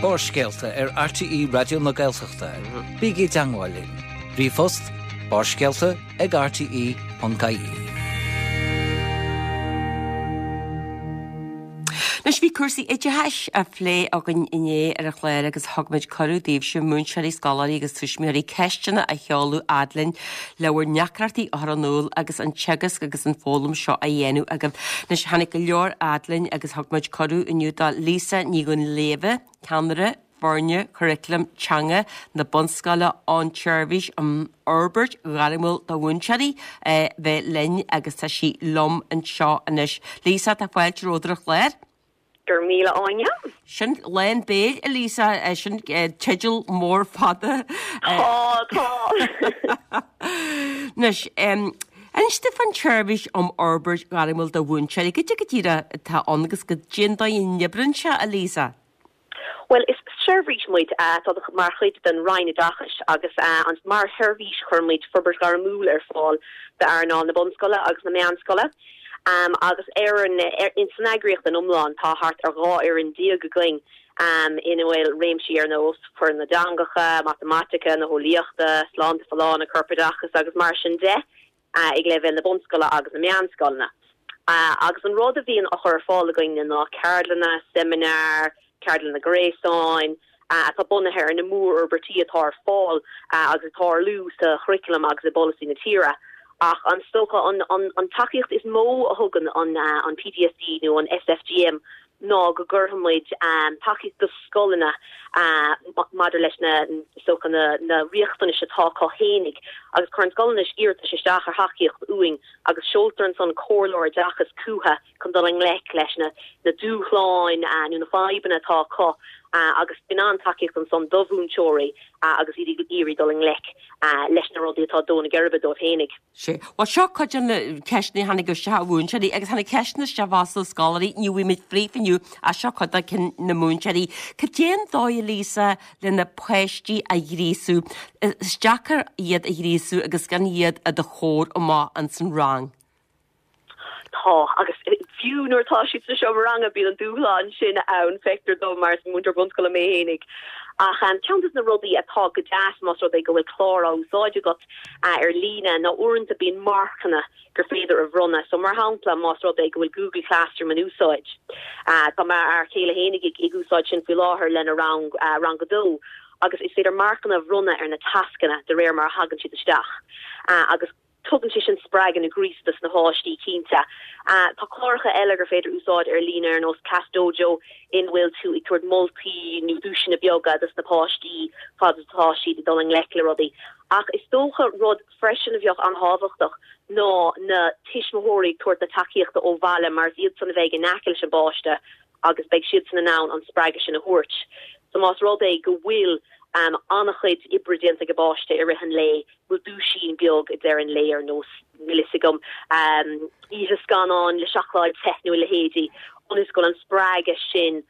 Barrscéalta ar RTÉ Raidió na Gaeltachta. Bígí i dteangmháil linn. Ríomhphost, barrscéalta ag rte.ie. Anois bhí cúrsaí oideachais á phlé againn inné ar an chlár agus thug muid cuireadh daoibhse, múinteoirí, scoláirí agus tuismitheoirí, ceisteanna a sheoladh fhad linn le bhur ndeacrachtaí a chur in iúl agus an teagasc agus an foghlaim seo á dhéanamh agaibh. Anois tháinig go leor fhad linn agus thug muid cuireadh inniu do Lisa Ní Dhuinnshléibhe, Ceannaire Foirne Curaclaim Teanga na Bunscoile ón tSeirbhís um Fhorbairt Ghairmiúil do Mhúinteoirí, bheith linn agus tá sí liom anseo anois. Lisa, tá fáilte romhat ar an chlár. Go raibh míle Áine. Sin lán béil, a Lisa, sin teideal mór fada. Tá, tá. Anois, inis domh fán tSeirbhís um Fhorbairt Ghairmiúil do Mhúinteoirí, goidé go díreach atá ann agus goidé an dóigh a n-oibríonn sé, a Lisa? Bhuel, is seirbhís muid atá mar chuid den Roinn Oideachais agus mar sheirbhís cuireann muid forbairt ghairmiúil ar fáil d'earnáil na bunscoile agus na meánscoile. Agus ar an, san eagraíocht in iomlán tá thart ar 12 fhoireann againn ina bhfuil réimsí ar nós foireann na dteangacha, matamaitice, na heolaíochta, sláinte folláine, corpoideachas agus mar sin de. ag leibhéal na bunscoile agus na meánscoileanna. Agus an rud a bhíonn á chur ar fáil againne ná ceardlanna, seimineáir, ceardlanna gréasáin, atá bunaithe ar na mórfhorbairtí atá ar fáil agus ag tarlú sa churaclam agus i bpolasaí na tíre. Ach is dócha an tacaíocht is mó a thugann an PDSD nó an SFGM ná go gcuirfidh muid tacaíocht do scoileanna maidir leis na, is dócha, na riachtanais atá acu fhéinig agus cuireann scoileanna iarratais isteach ar thacaíocht uainn agus seoltar ansan comhairleoir oideachais chucu chun dul i ngleic leis na dúshláin nó na fadhbanna atá acu. Agus bíonn an-tacaíocht ansan do mhúinteoirí agus iad ag iarraidh dul i ngleic leis na rudaí atá ag dó na geirbe dóibh fhéinig. Sea. Bhuel, seo cuid de na ceisteanna a tháinig isteach ó mhúinteoirí agus tháinig ceisteanna isteach fosta ó scoláirí, ní bhfuair muid fríofa inniu ach seo cuid de cinn na múinteoirí. Cad é an dóigh, a Lisa, le na páistí a ghríosú? Is deacair iad a ghríosú agus gan iad i do chomhair amach ins an rang. Tá, agus fiú nuair atá siad sa seomra ranga bíonn an dúshlán sin ann, feictear dom, mar is múinteoir bunscoile mé fhéinig. Ach ceann de na rudaí atá go deas más rud é go bhfuil clár á úsáid agat ar líne ná uaireanta bíonn marcanna gur féidir a bhronnadh. So mar shampla más rud é go bhfuil Google Classroom in úsáid, tá m'fhear céile fhéinig ag úsáid sin faoi láthair lena rang, rang a dó, agus is féidir marcanna a bhronnadh ar na tascanna de réir mar a thagann siad isteach. Agus. Tugann sé sin spreagadh nó gríosadh dos na páistí, cinnte. Tá cláracha eile gur féidir úsáid ar líne ar nós Class Dojo ina bhfuil tú ag tabhairt moltaí nó duaiseanna beaga dos na páistí fad is atá siad ag dul i ngleic le rudaí. Ach is dócha rud freisin a bheadh an-thábhachtach ná na tuismitheoirí ag tabhairt na tacaíochta ó bhaile mar is iadsan a bheidh in aice leis an bpáiste agus beidh siadsan in ann an spreagadh sin a thabhairt. So más rud é go bhfuil an-chuid oibre déanta ag an bpáiste i rith an lae, bhfuil duaisín beag ag deireadh an lae ar nós, níl fhios agam, oíche scannáin le seacláid te nó a leithéidí, ionas go bhfuil an spreagadh sin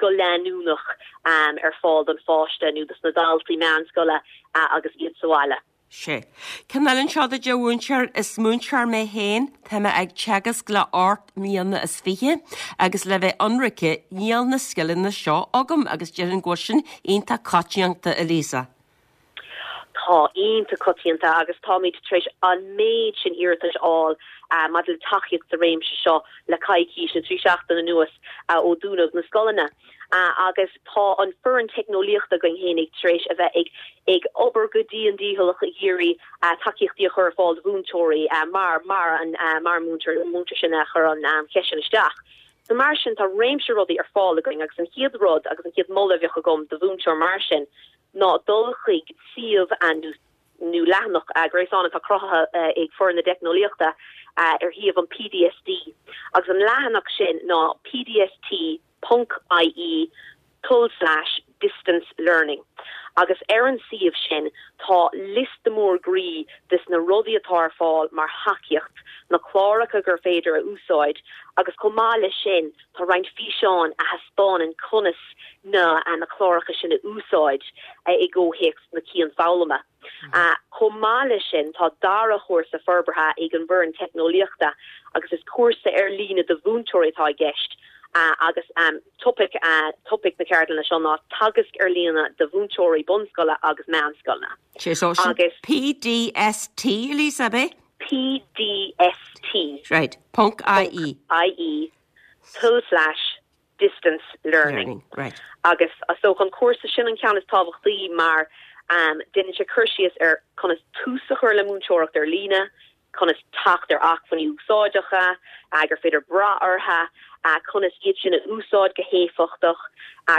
go leanúnach ar fáil don pháiste nó dos na daltaí meánscoile agus iad sa bhaile. Sea. Ceann eile anseo duit, a mhúinteoir, is múinteoir mé féin, tá mé ag teagasc le hocht mbliana is fiche agus le bheith ionraice níl na scileanna seo agam agus déarfainn go bhfuil sin iontach coitianta, a Lisa. Tá, iontach coitianta agus táimid tar éis an méid sin iarratais a fháil maidir le tacaíocht sa réimse seo le coicís nó 3 seachtaine anuas ó dúnadh na scoileanna. Agus tá an foireann teicneolaíochta againn fhéinig tar éis a bheith ag ag obair go dian dícheallach ag iarraidh tacaíochtaí a chur ar fáil do mhúinteoirí mar mar an mar an múinteoir an múinteoir sin a chuir an cheist sin isteach. So mar sin tá réimse rudaí ar fáil againn agus an chéad rud agus an chéad moladh a bheadh agam do mhúinteoir mar sin ná dul chuig suíomh nó leathanach gréasáin atá cruthaithe ag foireann na dteicneolaíochta ar shuíomh an PDST agus an leathanach sin ná pdst ponc ie tulslais distance learning agus ar an suíomh sin tá liosta mór groí des na rudaí atá ar fáil mar thacaíocht, na cláracha gur féidir a úsáid agus chomh maith leis sin tá roinnt físeáin a thaispeánann conas na na cláracha sin a úsáid i gcomhthéacs na cianfhoghlama. Chomh maith leis sin, tá dara chúrsa forbartha ag an bhfoireann teicneolaíochta agus is cúrsa ar líne do mhúinteoirí atá i gceist agus topaic topaic na ceardlainne seo ná teagasc ar líne do mhúinteoirí bunscoile agus meánscoileanna. Sé so sin Agus. PDST, Lisa, ab é? PDST. Right. Ponc IE. IE tulslais distance learning. Right. Agus is dócha an cúrsa sin an ceann is tábhachtaí mar déanann sé cur síos ar conas tús a chur le múinteoireacht ar líne, conas teacht ar acmhainní úsáideacha gur féidir brath orthu, conas iad sin a úsáid go héifeachtach,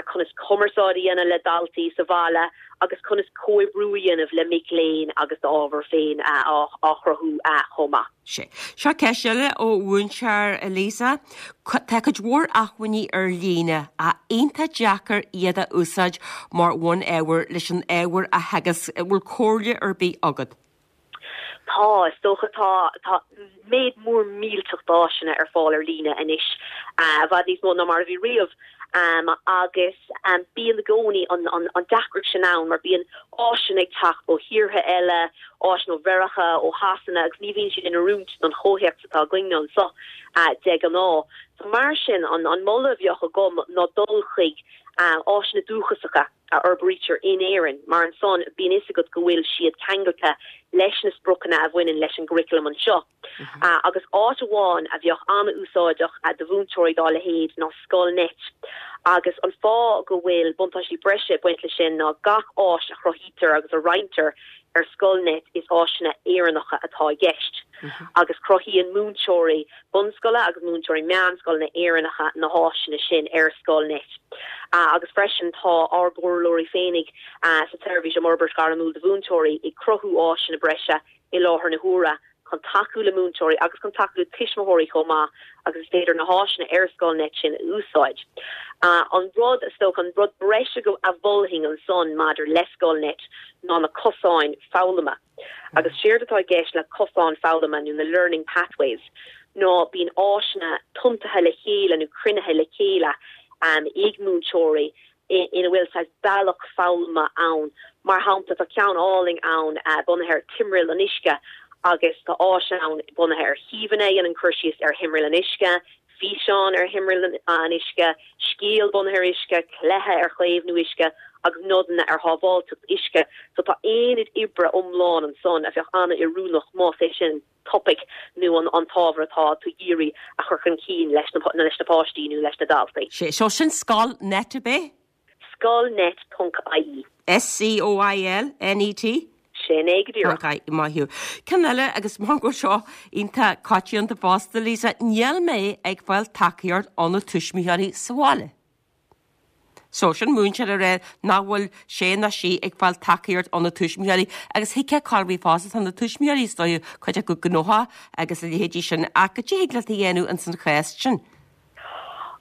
conas cumarsáid a dhéanamh le daltaí sa bhaile agus conas comhoibriú a dhéanamh le mic léinn agus d'ábhar féin á chruthú chomh maith. Sea. Seo ceist eile ó mhúinteoir Lisa. Tá cuid mhór acmhainní ar líne, ach iontach deacair iad a úsáid mar bhun-ábhar leis an ábhar a theagasc. An bhfuil comhairle ar bith agat? Tá, is dócha. Tá, tá méid mór millteach d'áiseanna ar fáil ar líne anois, i bhfad níos mó ná mar a bhí riamh. Agus bíonn i gcónaí an deacracht sin ann mar bíonn áiseanna ag teacht ó thíortha eile, áiseanna ó Mheiriceá, ó Shasana agus ní bhíonn siad in oiriúint don chomhthéacs atá againne anseo de ghnáth. So mar sin, an moladh a bheadh agam ná dul chuig áiseanna dúchasacha a fhorbraítear in Éirinn mar ansan bíonn fhios agat go bhfuil siad ceangailte leis na spriocanna a bhaineann leis an gcurriculum anseo. Agus áit amháin a bheadh an-úsáideach do mhúinteoirí dá leithéid ná Scoilnet. Agus an fáth go bhfuil buntáistí breise ag baint leis sin ná gach áis a chruthaítear agus a roinntear ar Scoilnet is áiseanna Éireannacha atá i gceist. Agus cruthaíonn múinteoirí bunscoile agus múinteoirí meánscoileanna Éireannacha na háiseanna sin ar Scoilnet. Agus freisin tá ár gcomhairleoirí féinig sa tSeirbhís um Fhorbairt Ghairmiúil do Mhúinteoirí ag cruthú áiseanna breise i láthair na huaire. chun tacú le múinteoirí agus chun tacú le tuismitheoirí chomh maith agus is féidir na háiseanna ar Scoilnet sin a úsáid. An rud, is dócha, an rud breise a mholfainn ansan maidir le Scoilnet ná na cosáin foghlama. Agus séard atá i gceist le cosáin foghlama nó na learning pathways ná bíonn áiseanna tiontaithe le chéile nó cruinnithe le chéile ag múinteoirí ina bhfuil saghas bealach foghlama ann. Mar shampla, tá ceann álainn ann bunaithe ar timthriall an uisce agus tá áis ann bunaithe ar shuíomhanna a dhéanann cur síos ar thimthriall an uisce, físeán ar thimthriall an uisce, scéal bunaithe ar uisce, cluiche ar chaomhnú uisce agus nodanna ar shábháilteacht uisce. So tá aonad oibre iomlán ansan a bheadh an-oiriúnach más é sin topaic nó an t-ábhar atá tú ag iarraidh a chur chun cinn leis na páistí nó leis na daltaí. Sé so sin Scoilnet ab é? Scoilnet ponc ie. S-C-O-I-L-N-E-T? Sin é go díreach. Ponc ie, maith thú. Ceann eile, agus mar go bhfuil seo iontach coitianta fosta, Lisa, níl mé ag fáil tacaíocht ó na tuismitheoirí sa bhaile. So, sin múinteoir ag rá nach bhfuil sé ná sí ag fáil tacaíocht ó na tuismitheoirí agus thuigfeá corruair fosta, tá na tuismitheoirí is dóigh cuid acu gnóthach agus a leithéidí sin ach cad é thig leat a dhéanamh ins an chás sin?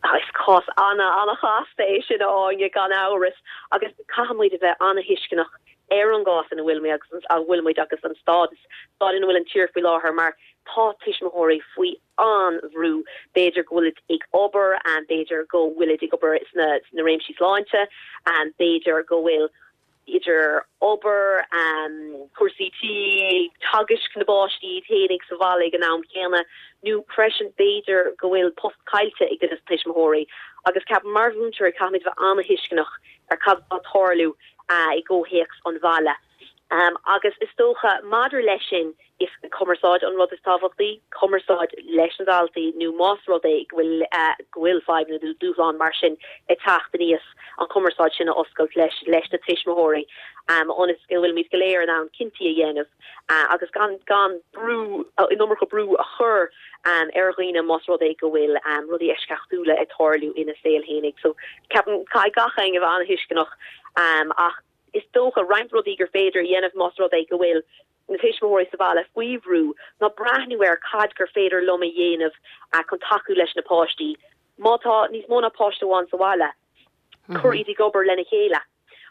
Is cás ana-chasta é sin a Áine, gan amhras, agus caithfidh muid a bheith ana-thuisceanach ar an gcás ina bhfuil muid agus a bhfuil muid agus an stádas, staid ina bhfuil an tír faoi láthair mar tá tuismitheoirí faoi an-bhrú. B'fhéidir go bhfuilid ag obair, b'fhéidir go bhfuilid ag obair sna réimsí sláinte, b'fhéidir go bhfuil idir obair, cúrsaí tí, teagaisc na bpáistí iad fhéinig sa bhaile ag an am chéanna, nó freisin b'fhéidir go bhfuil post caillte ag duine de na tuismitheoirí. Agus ceapaim mar mhúinteoirí caithfimid bheith an-thuisceanach ar cad atá ag tarlú i gcomhthéacs an bhaile. Agus is dócha maidir leis sin, is cumarsáid an rud is tábhachtaí, cumarsáid leis na daltaí nó más rud é go bhfuil go bhfuil fadhbanna nó dúshláin mar sin ag teacht aníos, an chumarsáid sin a oscailt leis leis na tuismitheoirí ionas go bhfuilimid go léir in ann cinntí a dhéanamh agus gan gan brú, an iomarca brú a chur ar dhaoine más rud é go bhfuil rudaí eisceachtúla ag tarlú ina saol fhéinig. So ceapaim caithfidh gach éinne a bheith an-thuisceanach ach is dócha, roinnt rudaí gur féidir a dhéanamh más rud é go bhfuil na tuismitheoirí sa bhaile faoi bhrú ná breathnú ar cad gur féidir liom a dhéanamh chun tacú leis na páistí. Má tá níos mó ná páiste amháin sa bhaile, cuir iad ag obair lena chéile.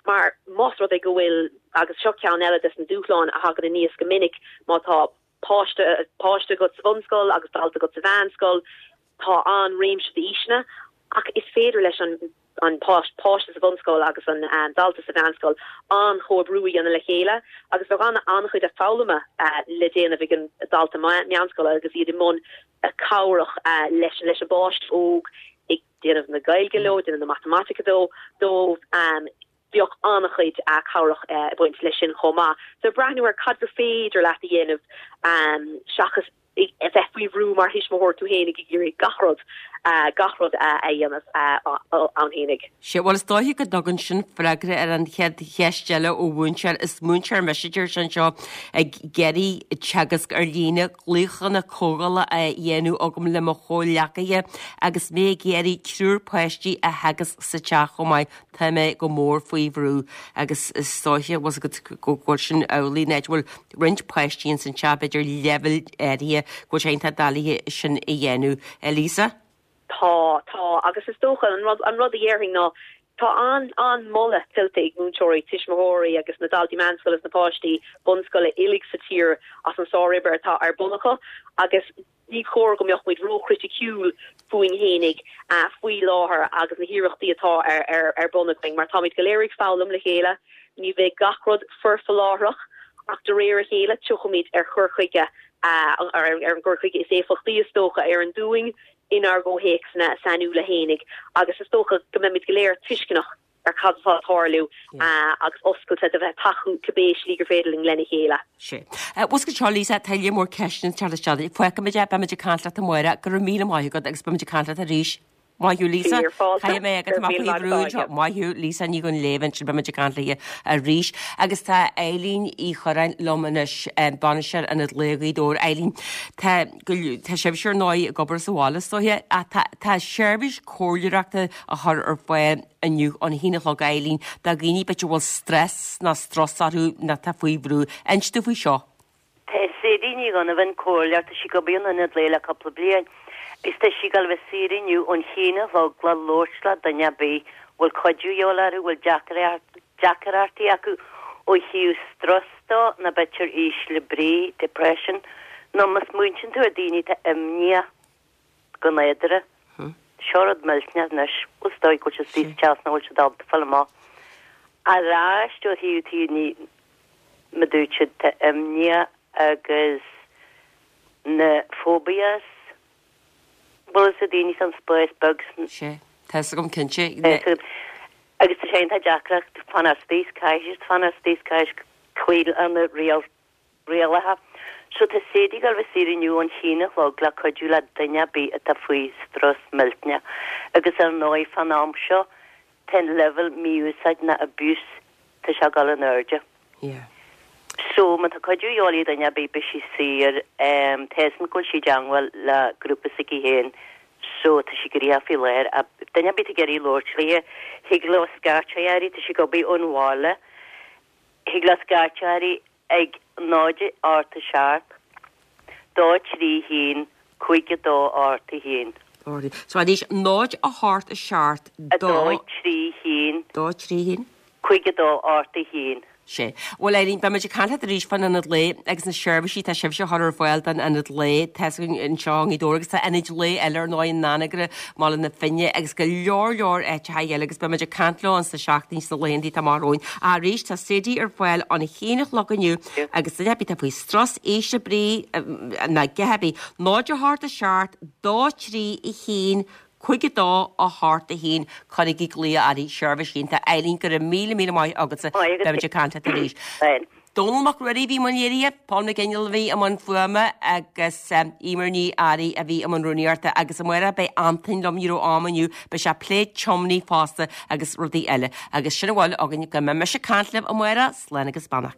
Mar más rud é go bhfuil, agus seo ceann eile des na dúshláin a thagann aníos go minic, má tá páiste, páiste agat sa bhunscoil agus dalta agat sa mheánscoil, tá an-réimse d'aoiseanna ach is féidir leis an an páiste sa bhunscoil agus an dalta sa mheánscoil an-chomhoibriú a dhéanamh le chéile agus bheadh an-chuid foghlama le déanamh ag an dalta meánscoile agus iad i mbun cabhrach leis leis an bpáiste óg ag déanamh na Gaeilge leo, déanamh na matamaitice dóibh. Bheadh an-chuid cabhrach ag baint leis sin chomh maith. So breathnú ar cad gur féidir leat a dhéanamh seachas a bheith faoi bhrú mar thuismitheoir tú fhéinig ag iarraidh gach rud, gach rud a dhéanamh ann fhéinig. Sea, bhuel is dóiche go dtugann sin freagra ar an chéad cheist eile ó mhúinteoir. Is múinteoir mise, deir sé anseo, ag iarraidh teagasc ar líne, glaochanna comhdhála á dhéanamh agam le mo chomhghleacaithe agus mé ag iarraidh triúr páistí a theagasc sa teach chomh maith. Tá mé go mór faoi bhrú agus is dóiche, bhfuil fhios agat, go bhfuil sin amhlaidh, an áit a bhfuil roinnt páistí ins an teach, b'fhéidir leibhéil áirithe, go bhfuil sé iontach doiligh sin a dhéanamh. Lisa? Tá, tá, agus is dócha, an rud, an rud a dhéarfainn ná, tá an, an-mholadh tuillte ag múinteoirí, tuismitheoirí agus na daltaí meánscoile is na páistí bunscoile uilig sa tír as an sároibre atá ar bun acu agus Ní chóir go mbeadh muid róchriticiúil fúinn fhéinig faoi láthair agus na hiarrachtaí atá ar bun againn, mar táimid go léir ag foghlaim le chéile. Ní bheidh gach rud foirfe láithreach, ach de réir a chéile tiocfaimid ar chur chuige, ar an gcur chuige is éifeachtaí is dócha a oireann dúinn inár gcomhthéacsanna sainiúla fhéinig, agus is dócha go mbeimid go léir tuisceanach ar cad atá ag tarlú agus oscailte do bheith ag tacú cibé slí gur féidir linn lena chéile. Sea. Bhfuil fhios agat seo, Lisa, tá lear mór ceisteanna ag teacht isteach. Fágfaimid é, beimid ag caint leat amárach. Go raibh míle maith agat agus beimid ag caint leat arís. Maith thú, Lisa. Fíor fáilte. Caithfidh mé agat amach faoi bhrú anseo. Maith thú, Lisa Ní Dhuinnshléibhe ansin, beimid ag caint léi arís. Agus tá Eileen Uí Churráin liom anois, bainisteoir Ionad Lae Ghaoth Dobhair. Eileen, tá go, tá sibhse ar ndóigh ag obair sa bhaile is dóiche, ach tá, tá seirbhís comhairleoireachta á chur ar fáil inniu ón haon a chlog a Eileen do dhaoine b'fhéidir a bhfuil stress nó strus orthu nó atá faoi bhrú. Inis domh faoi seo. Tá sé. Sadie Ní Dhonnabháin, comhairleoir, tá sí ag obair in ionad lae le cúpla bliain agus tá sí ag dul a bheith saor inniu ón haon a chlog le labhairt le duine ar bith a bhfuil cuidiú a dhíobháil orthu, a bhfuil deacrachtaí acu ó thaobh strus dó nó b'fhéidir ísle brí, depression, nó má smaointíonn tú ar daoine atá imníoch go nádúrtha. Seo rud millteanach anois, bhuel is dóigh go bhfuil siad istigh sa teach nach bhfuil siad ábalta fáil amach. Ar ais ó thaobh daoine mar dúirt siad tá imníoch agus na phobias, bhfuil fhios ag daoine san spás beag san. Sea, tá fhios agam cinnte. Agus tá sé iontach deacair fanacht istigh, caithfidh siad fanacht istigh, caithfidh cloí lena rialacha. So tá Sadie ag dul a bheith saor inniu ón haon a chlog le cuidiú le duine ar bith atá faoi strus millteanach. Agus ar ndóigh fán am seo tá an leibhéal mí-úsáid ná abuse tá sé ag dul in airde. Yeah. So má tá cuidiú a dhíobháil ar dhuine ar bith beidh sí saor. Tá fhios agam go bhfuil sí i dteangmháil le grúpa s'aici féin so tá sí gnoitheach faoi láthair. Duine ar bith atá ag iarraidh labhairt léi thig leo scairteadh uirthi tá sí ag obair ón bhaile. Thig leo scairteadh uirthi ag 0 8 7 2 3 1 5 2 8 1. So arís, 0 8 7 2. 3 1. 2 3 1. 5 2 8 1. Sea. Bhuel, Eileen, beidh muid ag caint leat arís fán Ionad Lae agus na seirbhísí atá sibhse a chur ar fáil don Ionad Lae. Tá fhios againn anseo i nGaoth Dobhair agus tá ionaid lae eile ar ndóigh in Anagaire, mBaile na Finne agus go leor leor áiteacha eile agus beidh muid ag caint leo sna seachtainí sna laethanta atá amach romhainn. Ach arís tá Sadie ar fáil ón haon a chlog inniu agus duine ar bith atá faoi strus, ísle brí nó a dhath ar bith, 0 8 7 2 3 1 5 2 8 1 Cuirigí glaoch uirthi, seirbhís iontach. Eileen, go raibh míle míle maith agatsa. Beidh muid ag caint leat arís. Dónall Mac Ruairí a bhí i mbun léirithe, Paul McGinnell a bhí i mbun fuaime agus Eimear Ní Fhearraigh a bhí i mbun rúnaíochta agus amárach beidh Antain liom, ní raibh am inniu, beidh sé ag plé tiomnaí fosta agus rudaí eile. Agus sin a bhfuil againn go mbeidh mise ag caint libh amárach, slán agus beannacht.